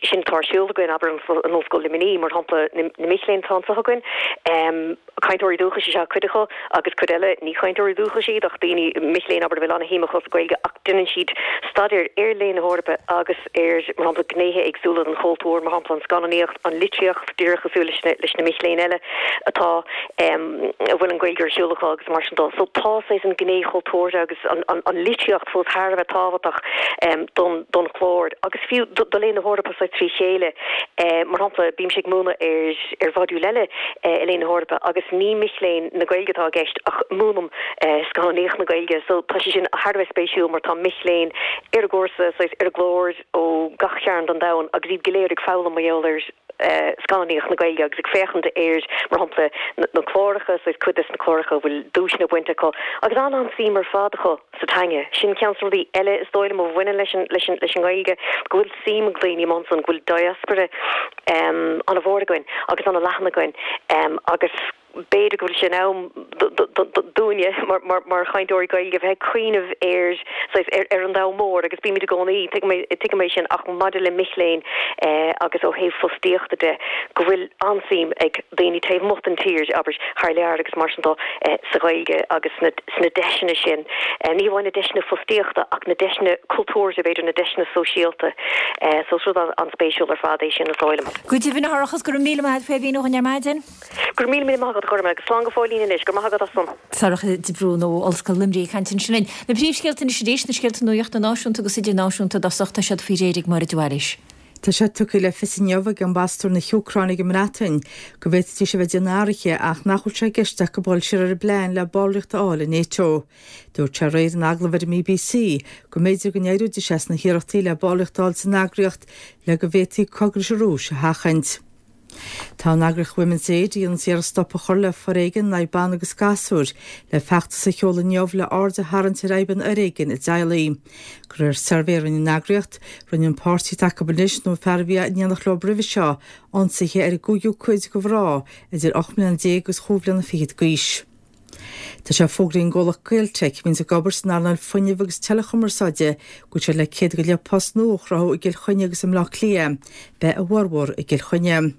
sin atá ar siúl againn, abair, in Ollscoil Luimnigh, mar shampla, na mic léinn atá anseo againn, cainteoirí dúchais is ea cuid acu agus cuid eile, ní cainteoirí dúchais iad ach daoine, mic léinn, abair, a bhfuil an-shuim acu sa Ghaeilge ach déanann siad staidéar ar Léann na hEorpa agus ar, mar shampla, gnéithe éagsúla den chultúr, mar shampla, an scannánaíocht, an litríocht, díreach cosúil leis na, leis na mic léinn eile atá, a bhfuil an Ghaeilge ar siúl acu agus mar sin de. So tá saghas an ghné chultúrtha agus an, an, an litríocht fós thar a bheith tábhachtach don, don chlár agus fiú do, do Léann na hEorpa saghas trí chéile. Mar shampla, bímse ag múineadh ar, ar mhodúl eile i Léann na hEorpa agus ní mic léinn na Gaeilge atá i gceist ach múinim scannánaíocht na Gaeilge so tá sé sin thar a bheith spéisiúil mar tá mic léinn ar an gcúrsa, saghas ar an gclár ó gach cearn den domhan agus iad go léir ag foghlaim mar gheall ar scannánaíocht na Gaeilge agus ag féachaint ar, mar shampla, na cláracha, saghas cuid des na cláracha a bhfuil duaiseanna bainte acu agus an-an-suim ar fad acu sa teanga. Sin ceann des na rudaí eile is dóigh liom a bhaineann leis an, leis an, leis an nGaeilge, go bhfuil suim ag daoine ansan, go bhfuil diaspora an-mhór againn agus an-leathan againn agus, B'fhéidir go bhfuil sé in am dúinne mar chainteoirí Gaeilge bheith ag cuimhneamh ar, saghas, ar an domhan mór agus bímid i gcónaí, tuigim é sin, ach maidir le mic léinn agus ó thaobh fostaíochta de, go bhfuil an-suim ag daoine taobh amuigh den tír, abair, thar lear agus mar sin de, sa Ghaeilge agus sna deiseanna sin, ní hamháin na deiseanna fostaíochta ach na deiseanna cultúrtha, b'fhéidir, na deiseanna sóisialta. So is rud an-spéisiúil ar fad é sin, is dóigh liom. Go deimhin, a Shorcha, go raibh míle maith agat faoi a mhíniú dhúinn ar maidin. Go raibh míle míle maith agat, a Ghormaith, agus slán go fóillín anois. Go raibh maith agat as san. Sorcha de Brún ó Ollscoil Luimnigh ag caint ansin linn. Na príomhscéalta anois arís, na scéalta nuachta náisiúnta agus idirnáisiúnta i dtosach, tá siad faoi réir ag Máire de Bhailís. Tá sé tugtha le fios inniu ag ambasadóir na hÚcráine ag an mBreatain go bhféadfaidís a bheith ag déanamh athruithe ach nach bhfuil sé i gceist acu dul siar ar an bplean le ballraíocht a fháil i NATO. Dúirt sé aréir in agallamh ar an mBBC go mb'fhéidir go n-éireoidís as na hiarrachtaí le ballraíocht a fháil san eagraíocht le go bhféadfaí cogadh leis an Rúis a sheachaint. Tá an eagraíocht Women's Aid, a dhéananns iarracht stop a chur le foréigean in aghaidh ban agus gasúir, le feachtas a sheoladh inniu le aird a tharraingt ar fhadhb an fhoréigin i dteaghlaigh. De réir suirbhé a rinne an eagraíocht, rinne an páirtí atá acu anois nó an fear a bhí in éineacht leo roimhe seo ionsaithe ar an gcúigiú cuid de mhná idir 18 mbliana agus chúig bhliana fichead d'aois. Tá sé fógraithe ag an gcomhlacht Gaeltec, a bhíonns ag obair san earnáil fuinnimh agus teileachumarsáide, go bhfuil siad le 100 go leith post nua a chruthú i gCill Chainnigh agus i mBleá Cliath. Beidh a bhformhór i gCill Chainnigh.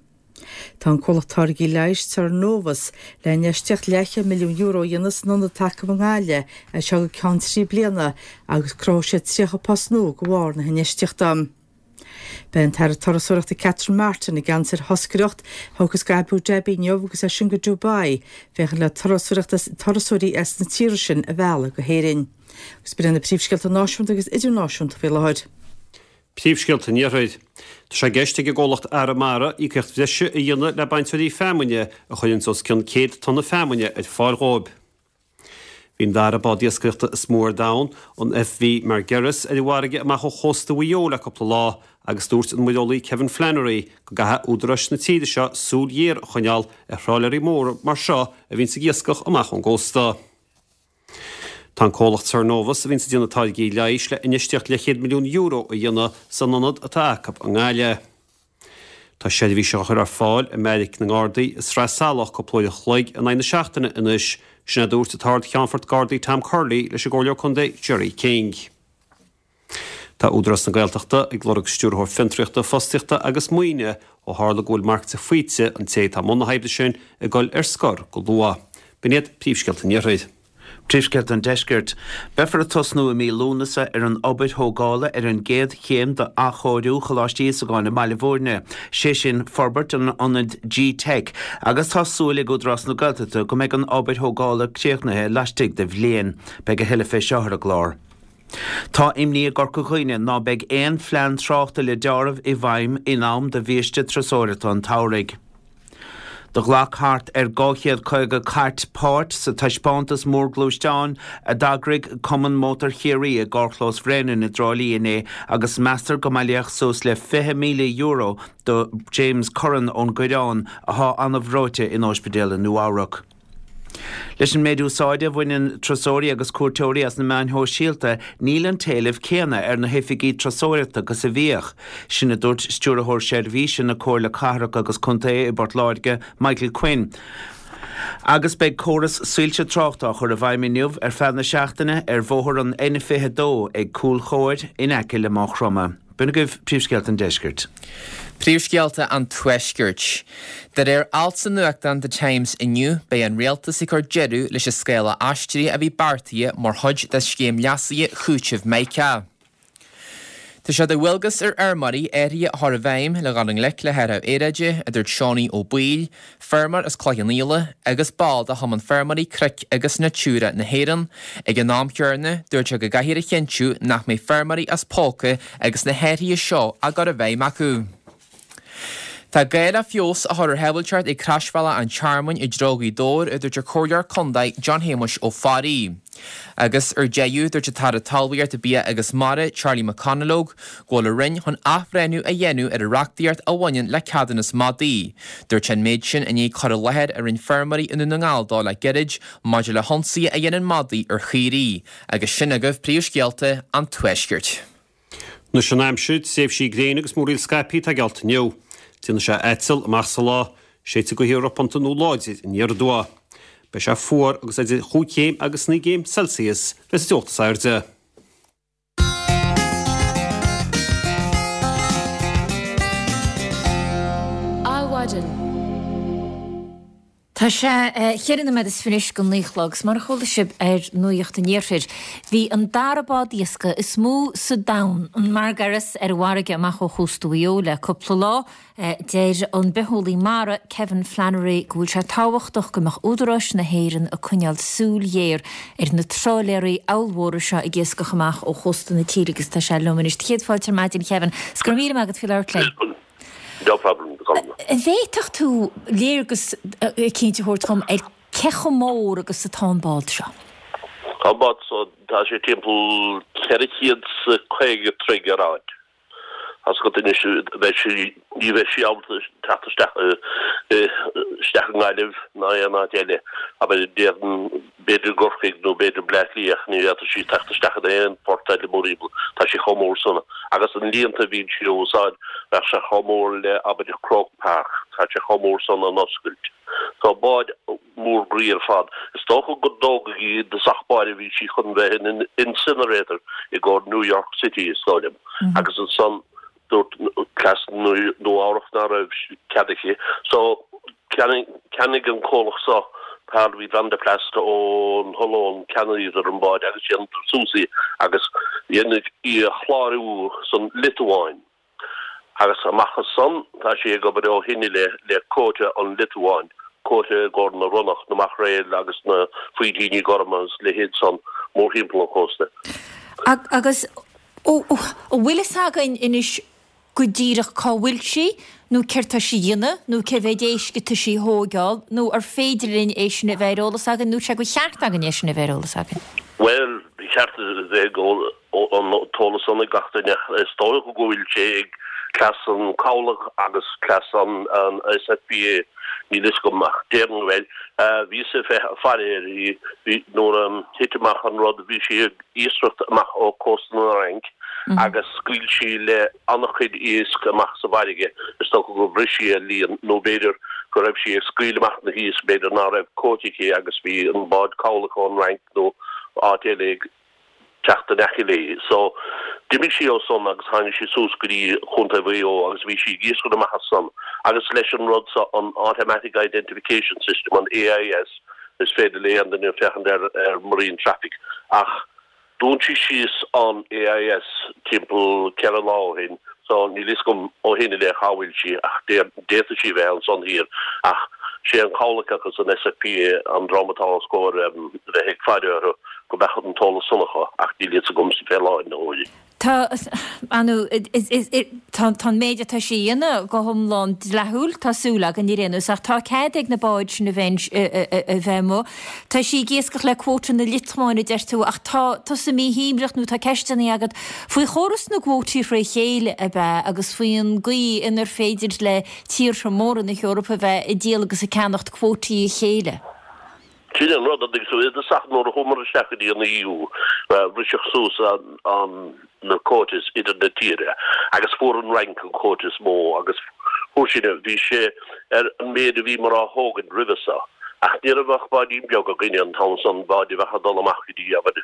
Tá an comhlacht táirgí leighis Sernovus le infheistíocht leathchéad €1,000 milliún a dhéanamh san ionad atá acu i nGaillimh as seo go ceann 3 bliana agus cruthóidh siad 30 post nua de bharr na hinfheistíochta. Beidh an tAire Turasóireachta Catherine Martin i gceannas ar thoscaireacht a thiocfas go Abu Dhabi inniu agus as sin go Dubai féachaint le turasóirí as na tíortha sin a mhealladh go hÉirinn. Agus b'in iad na príomhscéalta náisiúnta agus idirnáisiúnta faoi láthair. Príomhscéalta an Iarthair. Tá sé i gceist ag an gcomhlacht Arramara íocaíocht bhreise a dhéanamh le bainteoirí feamainne a chuireanns os cionn 100 tonna feamainne ar fáil dhóibh. Bhí an dara bád iascaireachta is mó ar domhan, an FV Margiris, ar an bhfarraige amach ó chósta Mhaigh Eo le cúpla lá agus dúirt an muireolaí Kevin Flannery go gcaithfidh údaráis na tíre seo súil ghéar a choinneáil ar thrálaeirí móra mar seo a bhíonns ag iascach amach ón gcósta. Tá an comhlacht Sernovus, a bhíonns ag déanamh táirgí leighis, le infheistíocht leathchéad €1,000,000 a dhéanamh san ionad atá acu i nGaillimh. Tá seirbhís á chur ar fáil i mBeairic na nGardaí i Sraith Salach cúpla uair an chloig in aghaidh na seachtaine anois, sin a dúirt an tArd-Cheannfort Gardaí Tom Curley leis an gComhairleoir Contae Gerry King. Tá Údarás na Gaeltachta ag lorg Stiúrthóir Fiontraíochta, Fostaíochta agus Maoine ó tharla go bhfuil Marc de Faoite, an té atá i mbun na hoibre sin, ag dul ar scor go luath. B'in iad príomhscéalta an Iarthair. Príomhscéalta an Deiscirt. Beifear ag tosnú i mí Lúnasa ar an obair thógála ar an gcéad chéim d'athchóiriú Choláiste Íosagáin i mBaile Bhúirne, sé sin forbairt an ionaid G-Teic, agus tá súil ag Údarás na Gaeltachta go mbeidh an obair thógála críochnaithe laistigh de bhliain. Beidh a thuilleadh fé seo ar an gclár. Tá imní i gCorca Dhuibhne ná beidh aon phlean tráchta le deáramh i bhfeidhm in am do bhiaiste turasóireachta an tsamhraidh. Do ghlac thart ar 250 cairt páirt sa taispeántas mór gluaisteán a d'eagraigh Cumann Mótar Chiarraí i gcarrchlós Bhréanainn i dTrá Lí inné agus meastar go mbailíodh suas le €20,000 do James Curran ón gCoireán athá an-bhreoite in óispidéal i Nua-Eabhrac. Leis an méid úsáide a bhaineann turasóirí agus cuairteoirí as na meáin shóisialta, níl an t-éileamh céanna ar na hoifigí turasóireachta agus a bhíodh. Sin a dúirt Stiúrthóir Seirbhíse na Comhairle Cathrach agus Contae i bPort Láirge, Michael Quinn. Agus beidh córas soilse tráchta á chur i bhfeidhm inniu ar feadh na seachtaine ar bhóthar an N22 ag Cúil Chomhair in aice le Maigh Chromtha. B'in agaibh príomhscéalta an deiscirt. Príomhscéalta an Tuaiscirt. De réir alt sa nuachtán The Times inniu, beidh an rialtas ag cur deireadh leis an scála aistrithe a bhí beartaithe mar chuid de scéim leasaithe chúitimh Mica. Tá sé de dhualgas ar fheirmeoirí athruithe a chur i bhfeidhm le dhul i ngleic le hathrú aeráide, a dúirt Seánie Ó Baoill, feirmeoir as Cloich Cheann Fhaola agus ball de Chumann Feirmeoirí Cnoic agus Natura na hÉireann. Ag an am chéanna, dúirt sé go gcaithfear a chinntiú nach mbeidh feirmeoirí as póca agus na hathruithe seo á gcur i bhfeidhm acu. Tá gá le feabhas a chur ar shábháilteacht ag Croisbhealach an Tearmainn i dtreo Ghaoth Dobhair, a dúirt an Comhairleoir Contae John Shéamuis Ó Fearraigh. Agus ar deireadh, dúirt an tAire Talmhaíochta, Bia agus Mara, Charlie McConalogue, go bhfuil a Roinn chun athbhreithniú a dhéanamh ar an reachtaíocht a bhaineann le ceadúnas madaí. Dúirt sé an méid sin i ndiaidh cur i láthair a rinne feirmeoirí i nDún na nGall dó le gairid maidir le hionsaithe a dhéanann madaí ar chaoirigh. Agus sin agaibh príomhscéalta an Tuaiscirt. Anois an aimsir, tréimhsí gréine agus múraíl scaipthe atá geallta inniu. Déanfaidh sé aiteal amach sa lá. Séidfidh gaotha ropánta nó láidir aniar aduaidh. Beidh sé fuar agus idir chúig chéim agus naoi gcéim Celsius a bheas an teocht is airde. Adhmhaidin. Tá sé cheithre nóiméad is fiche anois go naoi a chlog agus mar a chuala sibh ar Nuacht an Iarthair, bhí an dara bád iascaigh is mó sa domhan, an Margaris, ar an bhfarraige amach ó chósta Mhaigh Eo le cúpla lá. Deir an bitheolaí mara, Kevin Flannery, go bhfuil sé tábhachtach go mbeadh údaráis na hÉireann ag coinneáil súil ghéar ar na trálaeirí ollmhóra seo ag iascach amach ó chósta na tíre agus tá sé liom anois. Céad fáilte ar maidin, Kevin. 'S go raibh míle maith agat faoi labhairt linn. No problem, Colm. An bhféadfadh tú léargas eicínt a thabhairt dhom ar cé chomh mór agus atá an bád seo? Tá an bád seo, tá sé timpeall 450 troigh ar fhaid. Tá 's agat anois, beidh sí, ní bheidh sí ábalta teacht isteach, isteach i nGaillimh ná aon áit eile. Abair, déarfainn, b'fhéidir i gCorcaigh nó b'fhéidir Bleá Cliath ach ní fhéadfadh sí teacht isteach in aon phort eile mórthimpeall, tá sí chomh mór san. Agus na líonta a bhíonn sí a úsáid, bheadh sé chomh mór le, abair, Croke Park, tá sé chomh mór san an oscailt. So bád mór groí ar fad. Is dócha go dtógadh í i dtosach báire, bhí sí chun bheith ina incinerator i gcomhair New York City, is dóigh liom. Agus ansan dúirt cleas Nua Eabhrach ná raibh cead aici. So cheannaigh an comhlacht seo Parlby Van der Plas ón Ollainn, cheannaíodar an bád agus dhéanadar suas í agus dhéanadar í a chlárú san Liotuáin. Agus amach as san tá sí ag obair ó shin i leith le quota an Liotuáin, quota i gcomhair na ronnach, na maicréil agus na faoitíní gorma agus leithéid san mórthimpeall an chósta. Agus an bhfuil fhios againn anois go díreach cá bhfuil sí, nó céard tá sí a dhéanamh, nó cé mhéad éisc atá sí a thóigeáil, nó ar féidir linn é sin a bheith ar eolas againn, nó sé gur cheart againn é sin a bheith ar eolas againn? Bhuel, ba cheart a bheith an t-eolas san ag gach duine. Is dócha go bhfuil sé ag cleas an cabhlach agus cleas an SFBA, níl fhios agam ach déarfainn go bhfuil. Bhíos ag faire uirthi nuair a thit amach an rud, bhí sí ag iascaireacht amach ó cósta na Fhraince agus scaoil sí le an-chuid iasc amach sa bhfarraige. Is dócha gur bhris sí a líon nó b'fhéidir go raibh sí ag scaoileadh amach na hiasc, b'fhéidir ná raibh quota aici agus bhí an bád cabhlaigh ón Fhrainc nó áit eile ag teacht in aice léi. So, d'imigh sí ó san agus tháinig sí suas go dtí Chontae Mhaigh Eo agus bhí sí ag iascaireacht amach as san agus leis an rud so, an Automatic Identification System, an AIS. Is féidir le aon duine féachaint ar ar Marine Traffic ach dún sí síos an AIS timpeall 4 lá ó shin so níl fhios agam ó shin i leith cá bhfuil sí ach d'fhéadfadh sí a bheith ansan thiar ach sé an cabhlach agus an SFPA an dream atá os comhair bheith ag faire orthu go mbeadh an t-eolas san acu ach níl fhios agamsa fé láthair na huaire. Tá, ar ndóigh, tá an méid atá sí a dhéanamh go hiomlán dleathúil, tá súil againn ar aon nós, ach tá cead ag na báid sin a bheith a bheith amuigh. Tá sí ag iascach le quota na Liotuáine, a deir tú, ach tá tusa míshuaimhneach nó tá ceisteanna agat faoi chóras na gcuótaí fré chéile, ab ea, agus faoin gcaoi inar féidir le tíortha móra na hEorpa a bheith ag díol agus ag ceannacht cuótaí a chéile. Sin é an rud, an dtuigeann tú, i dtosach nuair a chuamar isteach go dtí an EU, briseadh suas an na quotas idir na tíortha agus fuair an Fhrainc an quota is mó agus fuair sin, bhí sé ar an méid a bhíomar á thógaint roimhe so. Ach ní raibh ach báidín beag againne an t-am san, báid a bheadh ag dul amach go dtí, abair,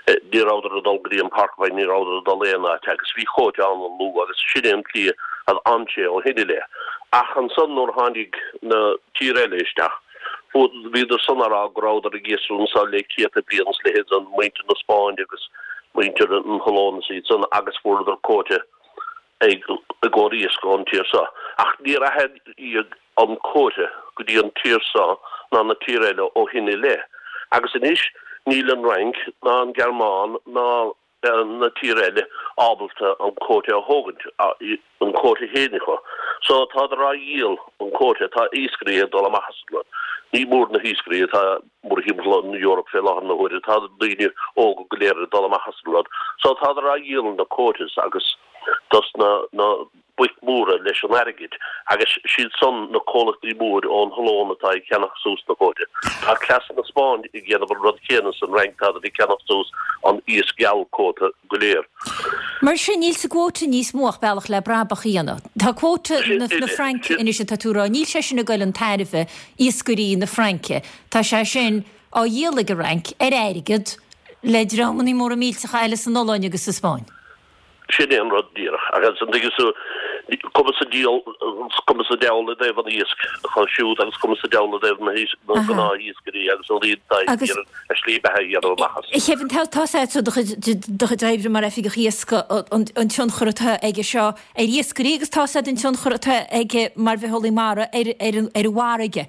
ní rabhadar ag dul go dtí an Porcupine, ní rabhadar ag dul aon áit agus bhí quota an-lú agus sin é an tslí a d'fhan sé ó shin i leith. Ach ansan nuair a tháinig na tír eile isteach, Bhíodar san á rá go rabhadar ag iascach anso le céadta bliain is leithéid san, muintir na Spáinne agus muintir na hOllann is iad san agus fuaireadar quota i gcomhair iasc ón tír so. Ach níor athraíodh an quota go dtí an tír so ná na tír eile ó shin i leith. Agus anois níl an Fhrainc ná an Ghearmáin ná na tír eile ábalta an quota a thógaint, an quota féin acu. So tádar á dhíol an quota, tá iascairí ag dul amach as an rud. Ní mór na hiascairí atá mórthimpeall an Eoraip fé láthair na huaire, tá daoine óga go léir ag dul amach as an rud. So tádar á dhíol na quotas agus dos na na boic mhóra leis an airgead agus siad san na comhlachtaí mór ón Ollainn atá ag ceannach suas na quota. Tá cleas na Spáinne ag déanamh an rud céanna san Fhrainc, tádar ag ceannach suas an iasc geal quota go léir. Mar sin, níl sa gcuóta níos mó ach bealach le brabach a dhéanamh. Tá cuóta na Fraince anois atá tú a rá, níl sé sin ag goil chun tairbhe iascairí na Fraince. Tá sé sin á dhíol ag an Fhrainc ar airgead le dreamanna móra millteacha eile san Ollainn agus sa Spáinn. Sin é an rud díreach. Agus an dtuigeann tú, cuma sa diabhal, cuma sa diabhal i dtaobh an iasc acu siúd agus cuma sa diabhal i dtaobh na gnáthiascairí agus an daoine atá ag iarraidh a slí beatha a dhéanamh amach as. A Kevin, tá a fhios agat ó do chuid oibre mar oifigeach iascaigh an tionchar atá aige seo ar iascairí agus tá a fhios agat an tionchar atá aige mar bhitheolaí mara ar an bhfarraige.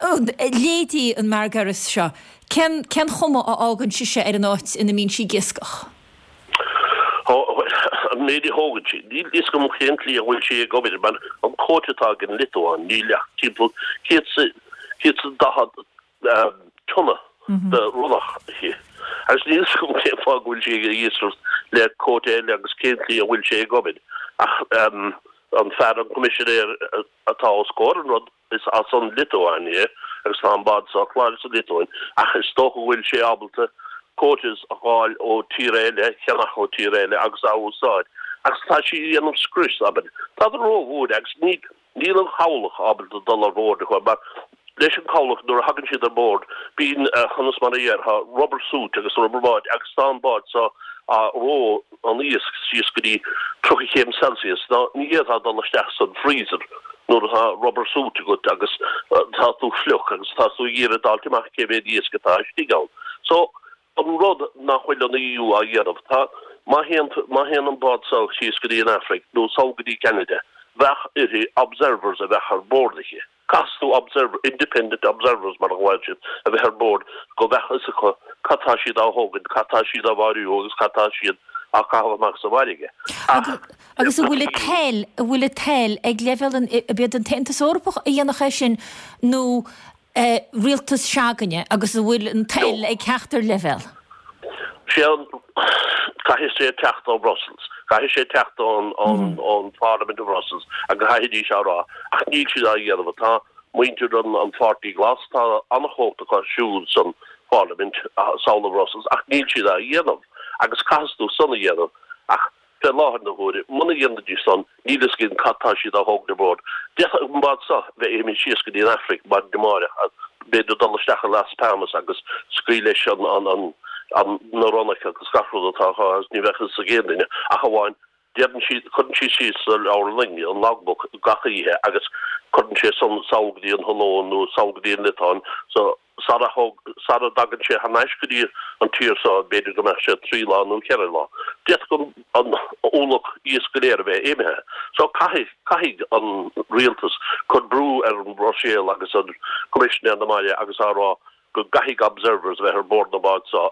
Leithéidí an Margiris seo, cén chuma a fhágann sise ar an áit ina mbíonn sí ag iascach? An méid a thógann sí. Níl fhios agam cén tslí a bhfuil sí ag obair mar an quota atá ag an Liotuáin, níl ach timpeall 140 tonna de ronnach aici. Agus níl fhios agam cén fáth go bhfuil sí ag iascaireacht le quota eile agus cén tslí a bhfuil sé ag obair. Ach an fear, an coimisinéir atá os comhair an rud, Is as an Liotuáin é agus tá an bád seo cláraithe sa Liotuáin ach is dócha go bhfuil sé ábalta quotas a fháil ó tír eile, cheannach ó tír eile agus a úsáid. Agus tá sí ag déanamh scrios, abair. Tádar rómhór agus ní, níl an chabhlach ábalta dul ar bord acu mar leis an chabhlach nuair a thagann siad ar bord bíonn, conas mar a déarfá, rubber suit agus rubber báid agus tá an bád seo á ró an iasc síos go dtí 30 chéim Celsius. Ná ní fhéadfá dul isteach san freezer nuair atá rubber suit agat agus tá tú fliuch agus tá tú ag iarraidh d'fháilt amach cé mhéad iasc atá istigh ann. So, an rud nach bhfuil an EU á dhéanamh, tá, má théann, má théann an bád seo síos go dtí an Afraic nó sall go dtí Ceanada, bheadh uirthi observers a bheadh ar bord aici. Caithfidh tú observer, independent observers mar a ghlaonn siad, a bheith ar bord go mbeadh fhios acu cad tá siad á thógaint, cad tá siad á mharú agus cad tá siad á caitheamh amach sa bhfarraige. Ach. Agus an bhfuil an toil, an bhfuil an toil ag leibhéal an, ab iad an tAontas Eorpach a dhéanfadh é sin nó rialtas se'againne agus an bhfuil an toil ag ceachtar leibhéal? Sé an, caithfidh sé teacht ó Brussels, caithfidh sé teacht ón, ón, ón Pharliament of Brussels agus caithfidís á rá, ach níl siad á dhéanamh. Tá muintir an, an Pháirtí Glas, tá an-chumhacht acu siúd san Pharliament sall i Brussels ach níl siad á dhéanamh agus caithfidh tú san a dhéanamh ach Fé láthair na huaire, muna dhéanfaidís san, níl fhios againn cad tá siad á thógaint ar bord. D'fhéadfadh an bád seo bheith imithe síos go dtí an Afraic maidin amáireach, b'fhéidir dul isteach i Las Palmas agus scaoileadh leis an, an, an, na ronnacha agus gach rud atá acu agus ní bheadh fhios ag aon duine ach amháin deireann siad, cuireann siad síos sa leabhar loinge, an logbook, gach oíche agus cuireann sé san sall go dtí an Ollainn nó sall go dtí an Liotuáin so. Sara sara dtagann sé thar n-ais go dtí an tír so, b'fhéidir go mbeadh sé 3 lá nó 4 lá. D'fhéadfadh an ualach iasc go léir a bheith imithe. So caithfidh, caithfidh an rialtas cur brú ar an Bhruiséil agus ar Coimisinéir na mBaile agus á rá go gcaithfidh observers a bheith ar bord na bád so.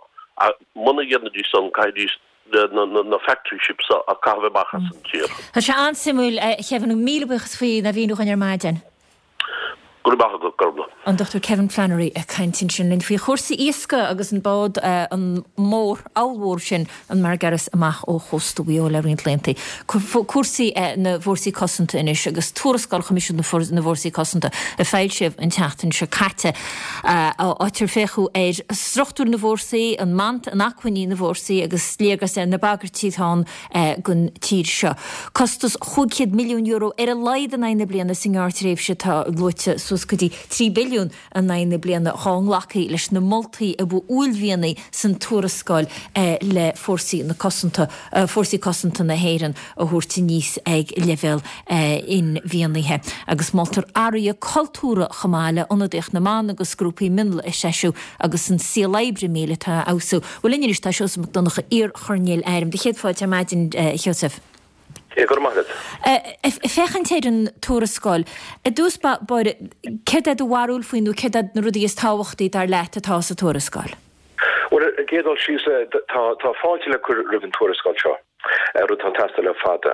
Muna dhéanfaidís san, caithfidís na factory ships so a chaitheamh amach as an tír. Tá sé an-suimiúil, a Kevin. Míle buíochas faoi na mhíniú dhuinn ar maidin. Go raibh maith agat, Gormlaith. An Dr Kevin Flannery ag caint ansin linn faoi chúrsaí iascaigh agus an bád an mór, ollmhór sin, an Margiris amach ó chósta Mhaigh Eo le roinnt laethanta. Cúrsaí na bhFórsaí Cosanta anois agus tuarascáil Choimisiún na bhFórsaí Cosanta a foilsíodh an tseachtain seo caite, áit ar féachadh ar struchtúr na bhfórsaí, an mant, an acmhainní na bhfórsaí agus léargas ar na bagairtí atá ann don tír seo. Costas €500 milliún ar a laghad in aghaidh na bliana sa ngearrtréimhse atá luaite, suas go dtí 3 billiún in aghaidh na bliana dhá nglacfaí leis na moltaí a ba uaillmhianaí san tuarascáil le fórsaí na cosanta, fórsaí cosanta na hÉireann a thabhairt aníos ag leibhéal inmhianaithe. Agus moltar athruithe cultúrtha chomh maith le ionadaíocht na mban agus grúpaí mionlaigh a threisiú agus an saol oibre míleata a fheabhsú. Bhuel linn anois tá Seosamh Mac Donncha, iar-choirnéal airm. Do chéad fáilte ar maidin, a Sheosaimh. Go raibh maith agat. Ag féachaint ar an tuarascáil, i dtús báire, céard é do bharúil faoi nó céard iad na rudaí is tábhachtaí, dar leat, atá sa tuarascáil? Bhuel, ar an gcéad dul síos, tá fáilte le cur roimh an tuarascáil seo, rud atá ag teastáil le fada.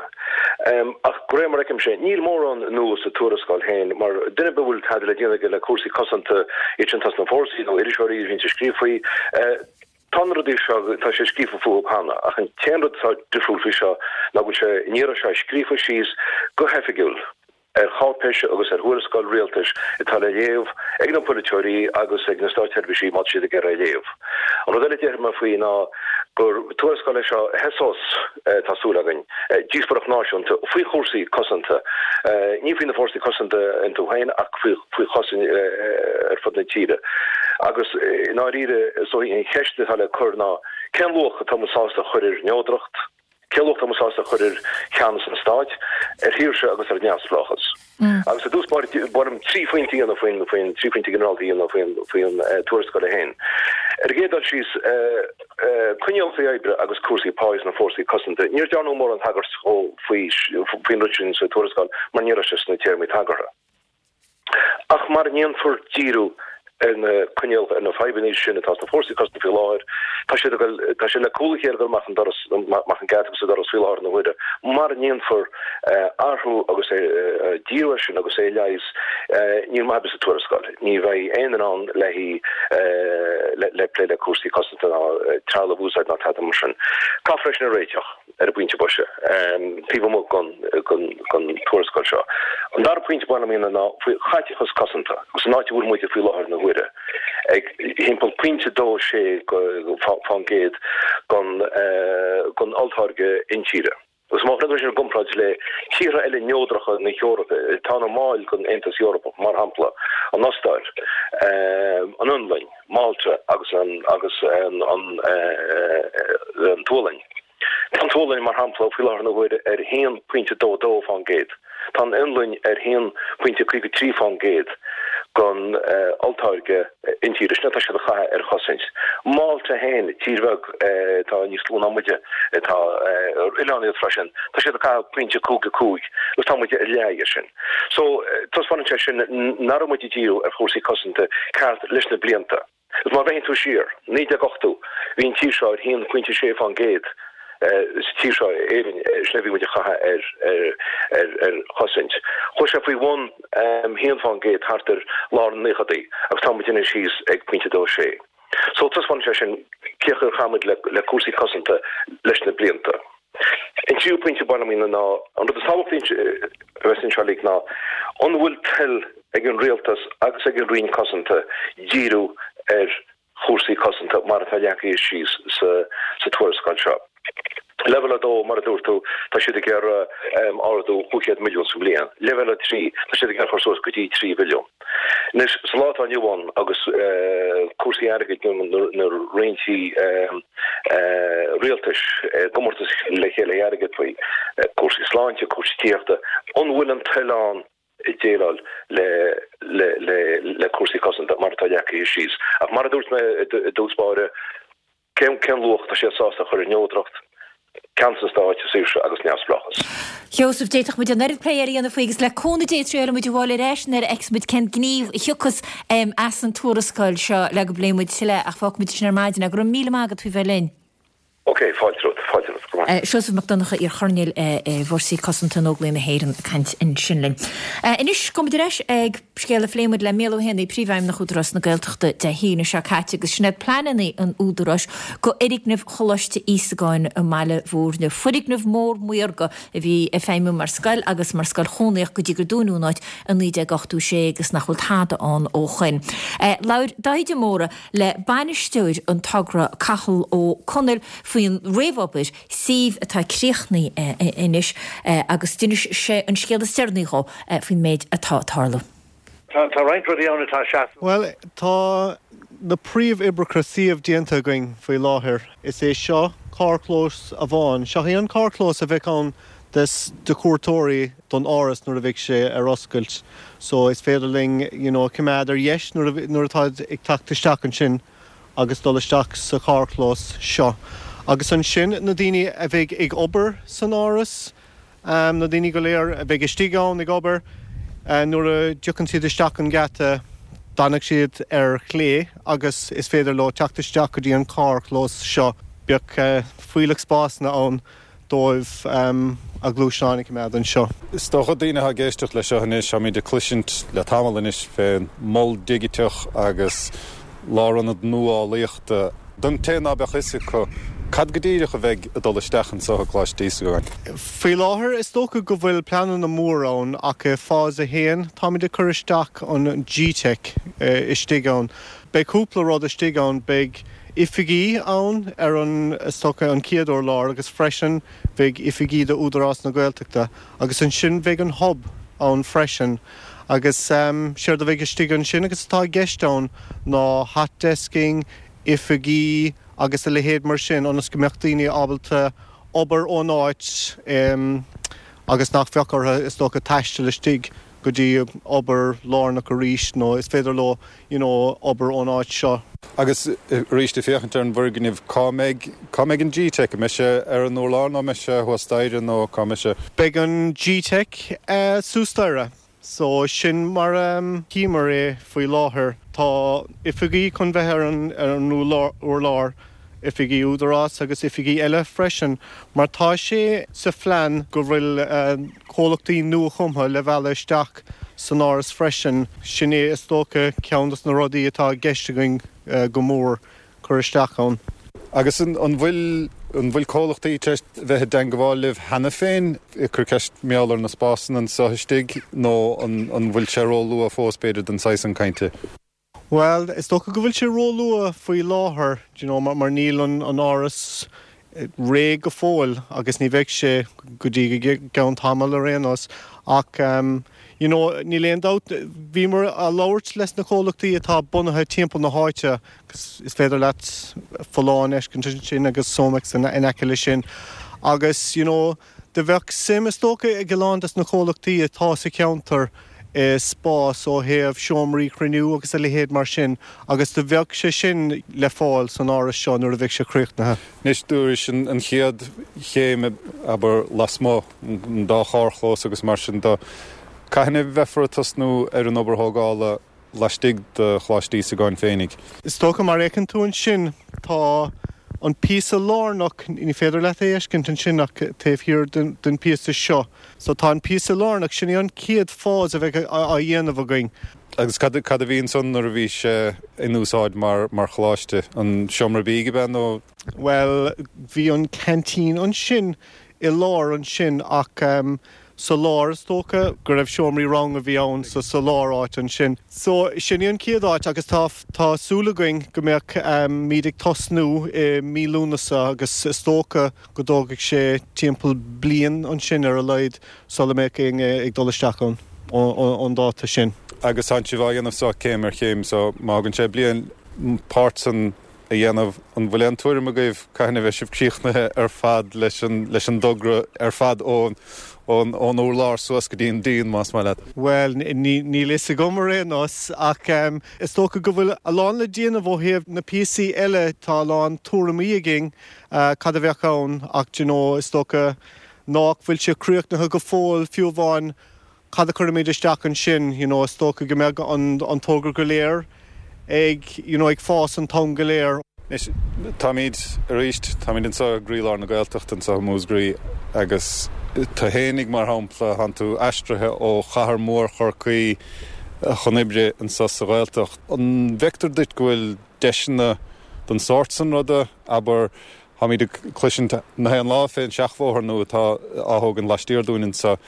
Ach de réir mar a fheicimse, níl mórán nua sa tuarascáil féin, mar duine ar bith a bhfuil tada le déanamh aige le cúrsaí cosanta, iad sin atá sna fórsaí nó iriseoirí a bhíonns ag scríobh faoi, Tá na rudaí seo, tá sé scríofa fúthu cheana, ach an t-aon rud atá difriúil faoi seo ná go bhfuil sé, an iarraidh seo, scríofa síos go hoifigiúil ar cháipéis agus ar thuarascáil rialtais atá le léamh ag na polaiteoirí agus ag na státseirbhísigh má tá siad ag iarraidh é a léamh. An rud eile a déarfaidh mé faoi ná gur tuarascáil é seo a thosós, tá súil againn, díospóireacht náisiúnta faoi chúrsaí cosanta, ní faoi na fórsaí cosanta iontu féin ach faoi chosaint ar fud na tíre. Agus i ndáiríre, is dóigh, an cheist atá le cur ná cén luach atá muid sásta a chur ar neodracht, cén luach atá muid sásta a chur ar cheannas an stáit, ar shaoirse agus ar neamhspleáchas. Agus i dtús báire, ba mhaith liom 3 phointe a dhéanamh faoin, faoin, 3 phointe ginearálta a dhéanamh faoin, faoin tuarascáil é féin. Ar an gcéad dul síos, coinníollacha oibre agus cúrsaí pá sna fórsaí cosanta, níor dearnadh mórán tagairt dhó faoi, faoin rud sin sa tuarascáil mar ní raibh sé sna téarmaí tagartha. Ach mara ndéanfar díriú ar na coinníollacha, ar na fadhbanna sin atá sna fórsaí cosanta faoi láthair. Tá siad ag dul, tá sé le cúl a chéile ag dul amach an doras, amach an geata agus an doras faoi láthair na huaire. Mara ndéanfar athrú agus díriú air sin agus é a leigheas, níl maith ar bith sa tuarascáil. Ní bheidh aon duine ann le hí, le plé le cúrsaí cosanta ná trealamh a úsáid ná tada mar sin. Caithfear é sin a réiteach. ar an bpointe boise, taobh amuigh den tuarascáil seo. An dara pointe ba mhaith liom a dhéanamh ná faoi chaiteachas cosanta agus an áit a bhfuil muide faoi láthair na huaire, ag thimpeall pointe 2, 6% den olltáirge intíre. Agus má chuireann tú sin i gcomparáid le tíortha eile neodracha na hEorpa atá ina mbaill den Aontas Eorpach, mar shampla, an Ostáir, an Fhionlainn, Málta agus an agus an tSualainn. Tá an tSualainn, mar shampla, faoi láthair na huaire ar 1.22%. Tá an Fhionlainn ar 1.53% den olltáirge intíre. Sin atá siad a chaitheamh ar chosaint. Málta féin, tír bheag atá níos lú ná muide, atá ar oileán iad freisin, tá siad ag caitheamh pointe 55 agus tá muide ar leath dhe sin. So, taispeánann sé sin nach raibh muid ag díriú ar chúrsaí cosanta ceart leis na blianta. Agus má bhreathnaíonn tú siar, 1980, bhí an tír seo ar 1.6% sa tír seo, Éirinn, sin a bhí muid a chaitheamh ar ar chosaint. Chuaigh sé faoi bhun 1% thart ar lár na naochadaí agus tá muid anois thíos ag pointe 2.6. So taispeánann sé sin cén chaoi ar chaith muid le cúrsaí cosanta leis na blianta. An tríú pointe ba mhaith liom a dhéanamh ná, an rud is tábhachtaí a bheas anseo uilig ná, an bhfuil toil ag an Rialtas agus ag an Roinn Cosanta díriú ar chúrsaí cosanta mar atá leagtha síos sa tuarascáil seo? Leibhéal 2, mar a dúirt tú, tá siad ag iarraidh ardú 500 milliún sa bhliain. Leibhéal 3, tá siad ag iarraidh cur suas go dtí 3 bhilliún. Anois, sa lá atá inniu ann, agus cúrsaí airgid na roinntí rialtais i gcomórtas le chéile airgead faoi, cúrsaí sláinte, cúrsaí tithíochta, an bhfuil an toil ann? déileáil le le le le cúrsaí cosanta mar atá leagtha síos. Ach mar a dúirt mé i dtús báire, cén cén luach atá siad sásta a chur ar neodracht, ceannas an stáit, saoirse agus neamhspleáchas? Sheosaimh, d'fhéadfadh muid an oiread plé eile a dhéanamh faoi agus le cúnamh Dé triailfidh muid a bhfáil ar ais nuair a fheicfeas muid cén gníomh a thiocfas as an tuarascáil seo le go bpléifidh muid tuilleadh ach fágfaidh muid sin ar maidin. Go raibh míle maith agat faoi bheith linn. Ok, fáilte romhat, fáilte romhat, go maith. Seosamh Mac Donncha, iar-choirnéal i bhFórsaí Cosanta in Óglaigh na hÉireann ag caint ansin linn. Anois, gabhfaidh muid ar ais ag scéal a phléigh muid le Mícheál Ó hÉanaí, Príomhfheidhmeannach Údarás na Gaeltachta Dé hAoine seo caite agus sin iad pleananna an Údaráis go fhoirgneamh Choláiste Íosagáin i mBaile Bhúirne. Foirgneamh mór maorga a bhí ag feidhmiú mar scoil agus mar scoil chónaíoch go dtí gur dúnadh an áit i 1986 agus nach bhfuil tada ann ó shoin. Labhair Dáithí de Mórdha le bainisteoir an togra Cathal Ó Conaill faoin réamhobair suímh atá críochnaithe anois agus d'inis sé an scéal is deireanaí dhó faoin méid atá ag tarlú. Tá roinnt rudaí ann atá seasmhach. Bhuel, tá na príomhoibreacha suímh déanta againn faoi láthair. Is é seo carrchlós amháin. Seo é an carrchlós a bheidh ann des de chuairteoirí don áras nuair a bheidh sé ar oscailt so is féidir linn you know coimeád ar dheis nuair a nuair atáid ag teacht isteach ansin agus dul isteach sa charrchlós seo agus ansin na daoine a bheidh ag obair san áras na daoine go léir a bheidh istigh ann ag obair nuair a dtiocfaidh siad isteach an geata danfaidh siad ar chlé agus is féidir leo teacht isteach go dtí an carrchlós seo beidh fuílleach spásanna ann dóibh a ngluaisteáin a choimeád anseo. Is dócha daoine atá ag éisteacht leis seo anois, táimid ag cloisint le tamall anois fén mol digiteach agus lárionad nuálaíochta. Don té ná beadh fhios acu, cad go díreach a bheidh ag dul isteach anso i gColáiste Íosagáin? Faoi láthair is dócha go bhfuil pleananna móra ann ach i Phase 1 táimid ag cur isteach an G-Teic istigh ann. Beidh cúpla rud istigh ann, beidh oifigí ann ar an, is dócha, an chéad urlár agus freisin bheidh oifigí do Údarás na Gaeltachta agus ansin bheidh an Hub ann freisin agus séard a bheidh istigh ansin agus atá i gceist ann ná hot desking, oifigí agus a leithéid mar sin ionas go mbeadh daoine ábalta obair ón áit agus nach bheadh orthu, is dócha, taisteal istigh go dtí obair lárnach arís nó is féidir leo you know obair ón áit seo. Agus arís ag féachaint ar an bhfoirgneamh, cá mbeidh, cá mbeidh an G-Teic? An mbeidh sé ar an urlár nó an mbeidh sé thuas staighre nó cá mbeidh sé? Beidh an G-Teic suas staighre. So sin mar a chímar é faoi láthair. Tá oifigí chun bheith ar an, ar an urlár, oifigí Údarás agus oifigí eile freisin, mar tá sé sa phlean go bhfuil comhlachtaí nuachumtha le mhealladh isteach san Áras freisin. Sin é is dócha ceann dos na rudaí atá i gceist againn go mór cur isteach ann. Agus an bhfuil an bhfuil comhlachtaí tar éis bheith i dteangabháil libh cheana féin ag cur ceist mar gheall ar na spásanna anso istigh nó an bhfuil sé ró-luath fós b'fhéidir don saghas san cainte? Bhuel, is dócha go bhfuil sé róluath faoi láthair, do you know, mar níl an áras réidh go fóill agus ní bheidh sé go dtí go gceann tamaill ar aon nós. Ach, you know, níl aon dabht, bhíomar a' labhairt leis na comhlachtaí atá bunaithe timpeall na háite, is féidir leat Folláin a fheiscint ansin agus Somex in aice leis sin agus, you know, Do bheadh suim, is dócha, ag a lán des na comhlachtaí atá sa cheantar i spás ó thaobh seomraí cruinniú agus a leithéid mar sin agus do bheadh sé sin le fáil san áras seo nuair a bheidh sé críochnaithe. Anois, dúrais an chéad chéim, abair, lasmuigh, an dá charrchlós agus mar sin de. Cathain a bheifear ag tosnú ar an obair thógála laistigh de Choláiste Íosagáin féinig. Is dócha, mar a fheiceann tú ansin, tá an píosa lárnach, ní féidir leat é a fheiscint ansin ach taobh thiar den phíosa seo. So tá an píosa lárnach, sin é an chéad phase a bheidh á dhéanamh againn. Agus cad a bhí ansan nuair a bhí sé in úsáid mar choláiste? An seomra bídh ab ea nó? Bhuel, bhí an canteen ansin i lár ansin ach sa lár is dócha go raibh seomraí ranga a bhí ann so sa lár áit ansin. So sin í an chéad áit agus tá tá súil againn go mbeadh muid ag tosnú i mí Lúnasa agus is dócha go dtógfaidh sé timpeall bliain ansin ar a laghad sula mbeadh éinne ag dul isteach ann ón dáta sin. Agus tánn sibh á dhéanamh so céim ar chéim so má thagann sé bliain páirt san a dhéanamh. An bhfuil aon tuairim agaibh cathain a bheidh sibh críochnaithe ar fad leis an leis an dtogra ar fad ón Ón urlár suas go dtí an díon, más maith leat. Bhuel, níl fhios agam ar aon nós, ach is dócha go bhfuil a lán le déanamh ó thaobh na píosaí eile, tá a lán tuairimí againn cad a bheadh ann ach d'you know is dócha nách bhfuil sé críochnaithe go fóill fiú amháin cad a chuirfimid isteach ansin, you know is dócha go mbeadh an togra go léir ag, you know ag fás an t-am go léir. Anois, táimid, arís, táimid anseo i gcroílár na Gaeltachta, anseo i Múscraí, agus tú fhéinig, mar shampla, tánn tú aistrithe ó chathair mhór Chorcaí chun oibre anseo sa Ghaeltacht. An bhfeictear duit go bhfuil deiseanna den sórt san ruda, abair, táimid ag cloisint na haon lá fén seachbhóthar nua atá á thógaint laistiar dúinn anseo,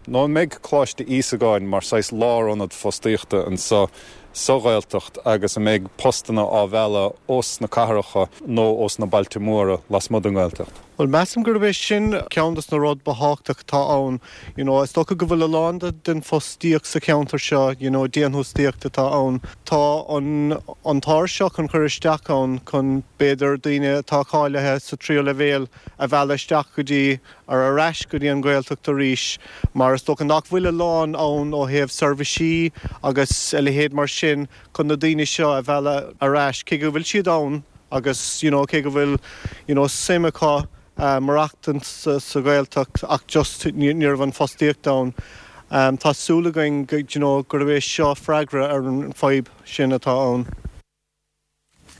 Nó an mbeidh Coláiste Íosagáin mar saghas lárionad fostaíochta anseo sa Ghaeltacht agus an mbeidh postanna á mhealladh ós na cathracha nó ós na bailte móra lasmuigh den nGaeltacht? Bhuel, measaim gurb é sin ceann dos na rud ba thábhachtach atá ann. You know, is dócha go bhfuil a lán den fostaíocht sa cheantar seo, you know, déantúsaíocht atá ann. Tá an an t-áras seo chun cur isteach ann chun b'fhéidir daoine atá cáilithe sa tríú leibhéal a mhealladh isteach go dtí ar ar ais go dtí an Ghaeltacht arís mar is dócha nach bhfuil a lán ann ó thaobh seirbhísí agus a leithéid mar sin chun na daoine seo a mhealladh ar ais cé go bhfuil siad ann agus you know cé go bhfuil you know suim acu maireachtaint sa Ghaeltacht ach just ní raibh an fostaíocht ann. Tá súil againn you know gurb é seo freagra ar an fadhb sin atá ann.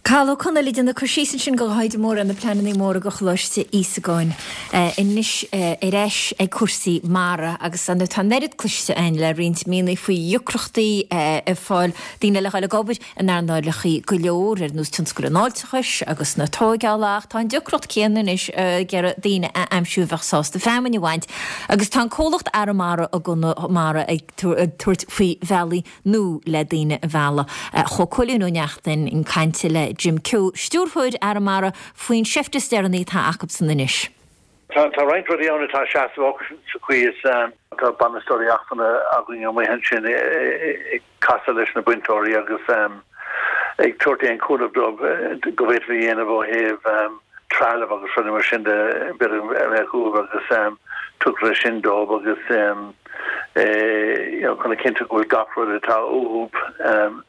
Cathal Ó Conaill ag déanamh cur síos ansin do Dhaidhí Mór ar na pleananna móra do Choláiste Íosagáin. Anois ar ais ag cúrsaí mara agus ar ndóigh tá an oiread cloiste againn le roinnt míonna faoi dheacrachtaí ag fáil daoine le dhul ag obair in earnálacha go leor ar nós tionscal an fháilteachais agus na tóigeála ach tá an deacracht céanna anois ag iarraidh daoine a aimsiú a bheadh sásta feamainn a bhaint agus tá an comhlacht Arramara i gConamara ag tabhairt faoi bhealaí nua le daoine a mhealladh. Chuaigh Cóilín Ó Neachtain chun cainte le Jim Keogh, Stiúrthóir Arramara, faoin seift is deireanaí atá acubsan anois. Tá roinnt rudaí ann atá seasmhach sa chaoi is tá bainisteoirí acmhainne againn amuigh ansin ag casadh leis na bainteoirí agus ag tabhairt aon chúnamh dóibh go bhféadfaí a dhéanamh ó thaobh trealamh agus rudaí mar sin de b'fhéidir a bheadh uathu agus tugtar é sin dóibh agus chun a chinntiú go bhfuil gach rud atá uathu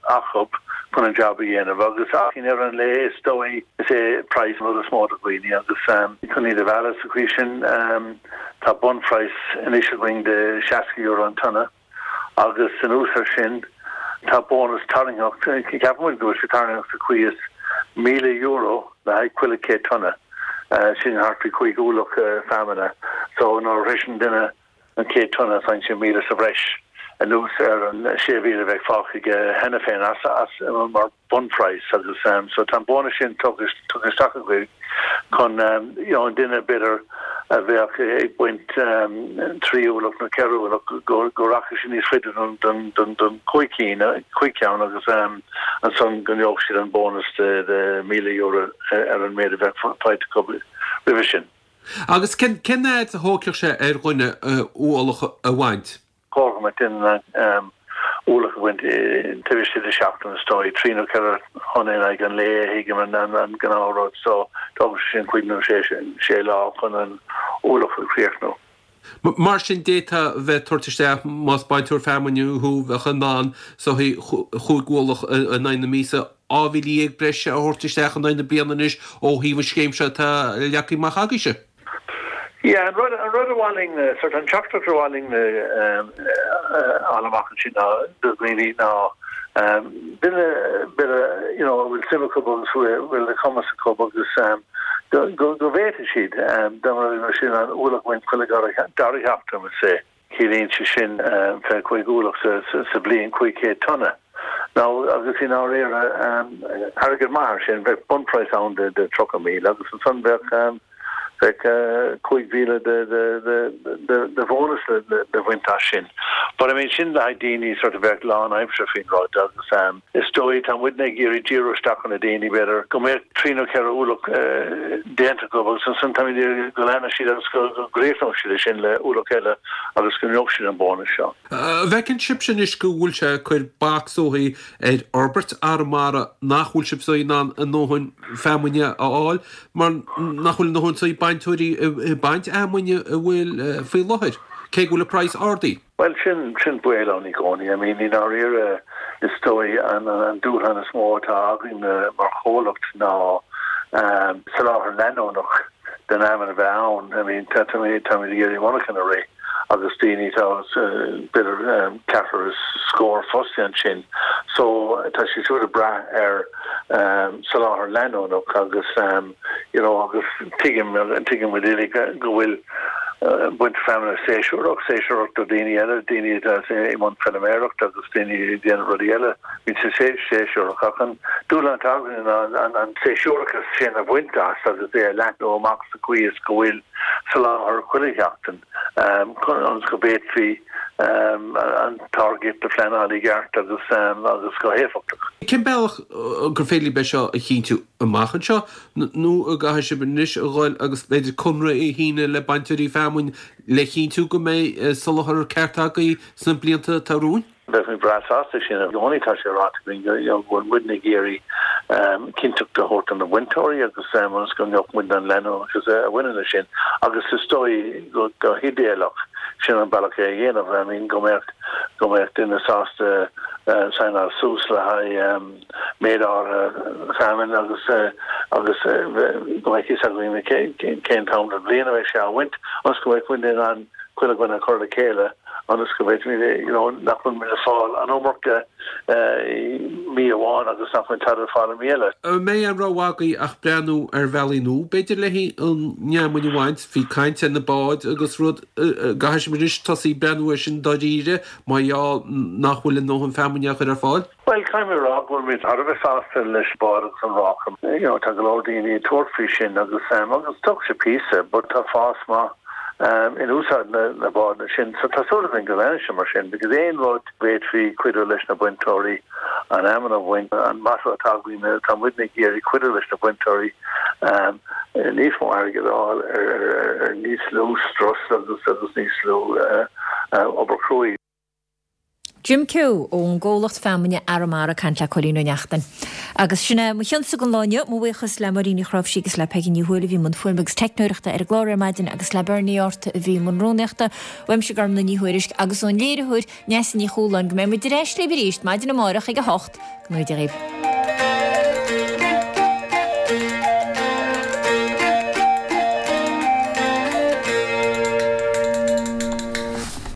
acu chun an jab a dhéanamh agus ach i ndeireadh an lae is dóigh is é praghas an rud is mó do dhaoine agus chun iad a mhealladh sa chaoi sin tá bunphraghas anois againn de €60 an tonna. Agus anuas air sin, tá bónas tarraingteach, ceapann muid go bhfuil sé tarraingteach sa chaoi is €1,000 le haghaidh chuile 100 tonna, sin thart faoi chúig ualach feamainne. So nuair a shroiseann duine an 100 tonna, faigheann sé 1,000 sa bhreis anuas ar an 6,000 a bheadh fágtha aige cheana féin as mar bunphraghas agus so tá an bónas sin tugtha isteach againn chun you know an duine b'fhéidir a bheadh ag baint 3 ualach nó 4 ualach go go rachaidh sé níos faide don don don don chúig cinn chúig ceann agus ansan go ngeobhadh siad an bónas de de €1,000 ar an méid a bheadh faighte acu roimhe sin. Agus cén cén fhad a thógfadh sé ar dhuine ualach a bhaint? Chóir go mbeadh duine in ann ualach a bhaint taobh istigh de sheachtain is dóigh, trí nó 4 thonna in aghaidh an lae a thuigim an gnáthrud so tógann sé sin cúig nó sé lá chun an ualach a chríochnú. Mar sin d'fhéadfá a bheith ag tabhairt isteach más bainteoir feamainne thú bheadh in ann is dóichí chúig ualach in aghaidh na míosa, 12,000 breise a thabhairt isteach in aghaidh na bliana anois ó thaobh an scéim seo atá leagtha amach agaibhse. Yeah, an rud, an rud a mhaith linn, sort an teachtaireacht a mhaith linn a fháil amach ansin ná do dhaoine ná duine b'fhéidir you know a bhfuil suim acu agus bhfuil an cumas acu agus go go go bhféadfaidh siad dá mba rud sin an ualach a bhaint chuile dara sheachtain, we'll say. Ciallaíonn sé sin 25 ualach sa bhliain, 500 tonna. Now, agus i ndáiríre, airgead maith é sin, bheadh bunphraghas ann de 30,000 agus ansan bheadh bheadh 5,000 de bhónas le bhaint as sin. But I mean, sin le haghaidh daoine sort of bheadh lán-aimsire faoin rud agus is dóigh, tá muidne ag iarraidh díriú isteach ar na daoine, b'fhéidir, go mbeadh trí nó ceithre ualach déanta acu agus ansan táimid ag iarraidh go leanfadh siad agus go gcríochnódh siad é sin le ualach eile agus go ngeobhadh siad an bónas seo. An bhfeiceann sibhse anois go bhfuil sé ag cur bac is dóichí ar fhorbairt Arramara nach bhfuil sibh in ann a ndóthain feamainne a fháil mar nach bhfuil a ndóthain is dóichí. bainteoirí ag baint fheamainne a bhfuil faoi láthair, cé go bhfuil an praghas ardaithe? Bhuel, sin, sin baol ann i gcónaí. I mean, i ndáiríre, is dóigh an, an dúshlán is mó atá againn mar chomhlacht ná soláthar leanúnach den fheamainn a bheith ann. I mean, tá, táimid, táimid ag iarraidh monarchan a rith agus daoine, tá, b'fhéidir ceathrar is scór fostaithe ansin. So, tá siad siúd ag brath ar soláthar leanúnach agus, you know, agus tuigim, tuigeann muid uilig go bhfuil, baint feamainne séasúrach, séasúrach do daoine eile, daoine atá i mbun feilméarachta agus daoine ag déanamh rudaí eile, bíonn sé séasúrach. Ach an dúshlán atá againn ná an séasúrachas sin a bhaint as agus é a leathnú amach sa chaoi is go bhfuil soláthar chuile sheachtain ionas go bhféadfaí an táirgeacht a phleanáil i gceart agus agus go héifeachtach. Cén bealach gur féidir libh é seo a chinntiú amach anseo? Nó an gcaithfidh sibh anois a dhul agus b'fhéidir conradh a shíneadh le bainteoirí feamainn le chinntiú go mbeidh soláthar ceart agaibh sna blianta atá romhainn? Bheadh muid breá sásta sin. I gcónaí tá sé ráite againn go bhfuil muidne ag iarraidh cinnteacht a thabhairt do na bainteoirí agus ionas go ngeobhadh muid an leanúnachas a bhaineann leis sin. Agus is dóigh go hidéalach sin an bealach é a dhéanamh. I mean go mbeadh go mbeadh duine sásta saighneáil suas le haghaidh méid áirithe feamainn agus agus go mbeadh fhios againn cén t-am den bhliain a bheidh sé á bhaint ionas go mbeadh muid in ann chuile dhuine a chur le chéile ionas go bhféadfaimid you know nach bhfuil muid ag fáil an iomarca i mí amháin agus nach bhfuil tada ar fáil i mí eile. An mbeidh aon rogha agaibh ach breathnú ar bhealaí nua b'fhéidir le haghaidh an fheamainn a bhaint? Bhí caint ar na báid agus rud, gcaithfidh sibh anois tosaí ag breathnú air sin dáiríre mar gheall nach bhfuil a ndóthain feamainne á chur ar fáil? Bhuel, caithfidh mé a rá go bhfuil muid thar a bheith sásta leis an bád agus an ráca. You know, tá go leor daoine ag tabhairt faoi sin agus agus tógfaidh sé píosa but tá fás maith in úsáid na na bádanna sin. So tá súil againn go leanfaidh sé mar sin because aon rud bhféadfaí cuidiú leis na bainteoirí an fheamainn a bhaint, an motto atá againn tá muidne ag iarraidh cuidiú leis na bainteoirí níos mó airgid a fháil ar ar ar níos lú strus agus agus níos lú obair chruaidh. Jim Keogh ón gcomhlacht feamainne Arramara ag caint le Cóilín Ó Neachtain. Agus sin é mo chionnsa don lá inniu. Mo bhuíochas le Máirín Ní Chráimhsí agus le Peigí Ní Thuathail a bhí i mbun fuaime agus teicneoireachta ar an gclár ar maidin agus le Bernie Arthur a bhí i mbun rúnaíochta. Uaimse Gormlaith Ní Thuairisg agus ón léiritheoir Neasa Ní Chualáin go mbeidh muid ar ais libh arís maidin amárach ag 8. Go ngnóthaí Dia dhaoibh.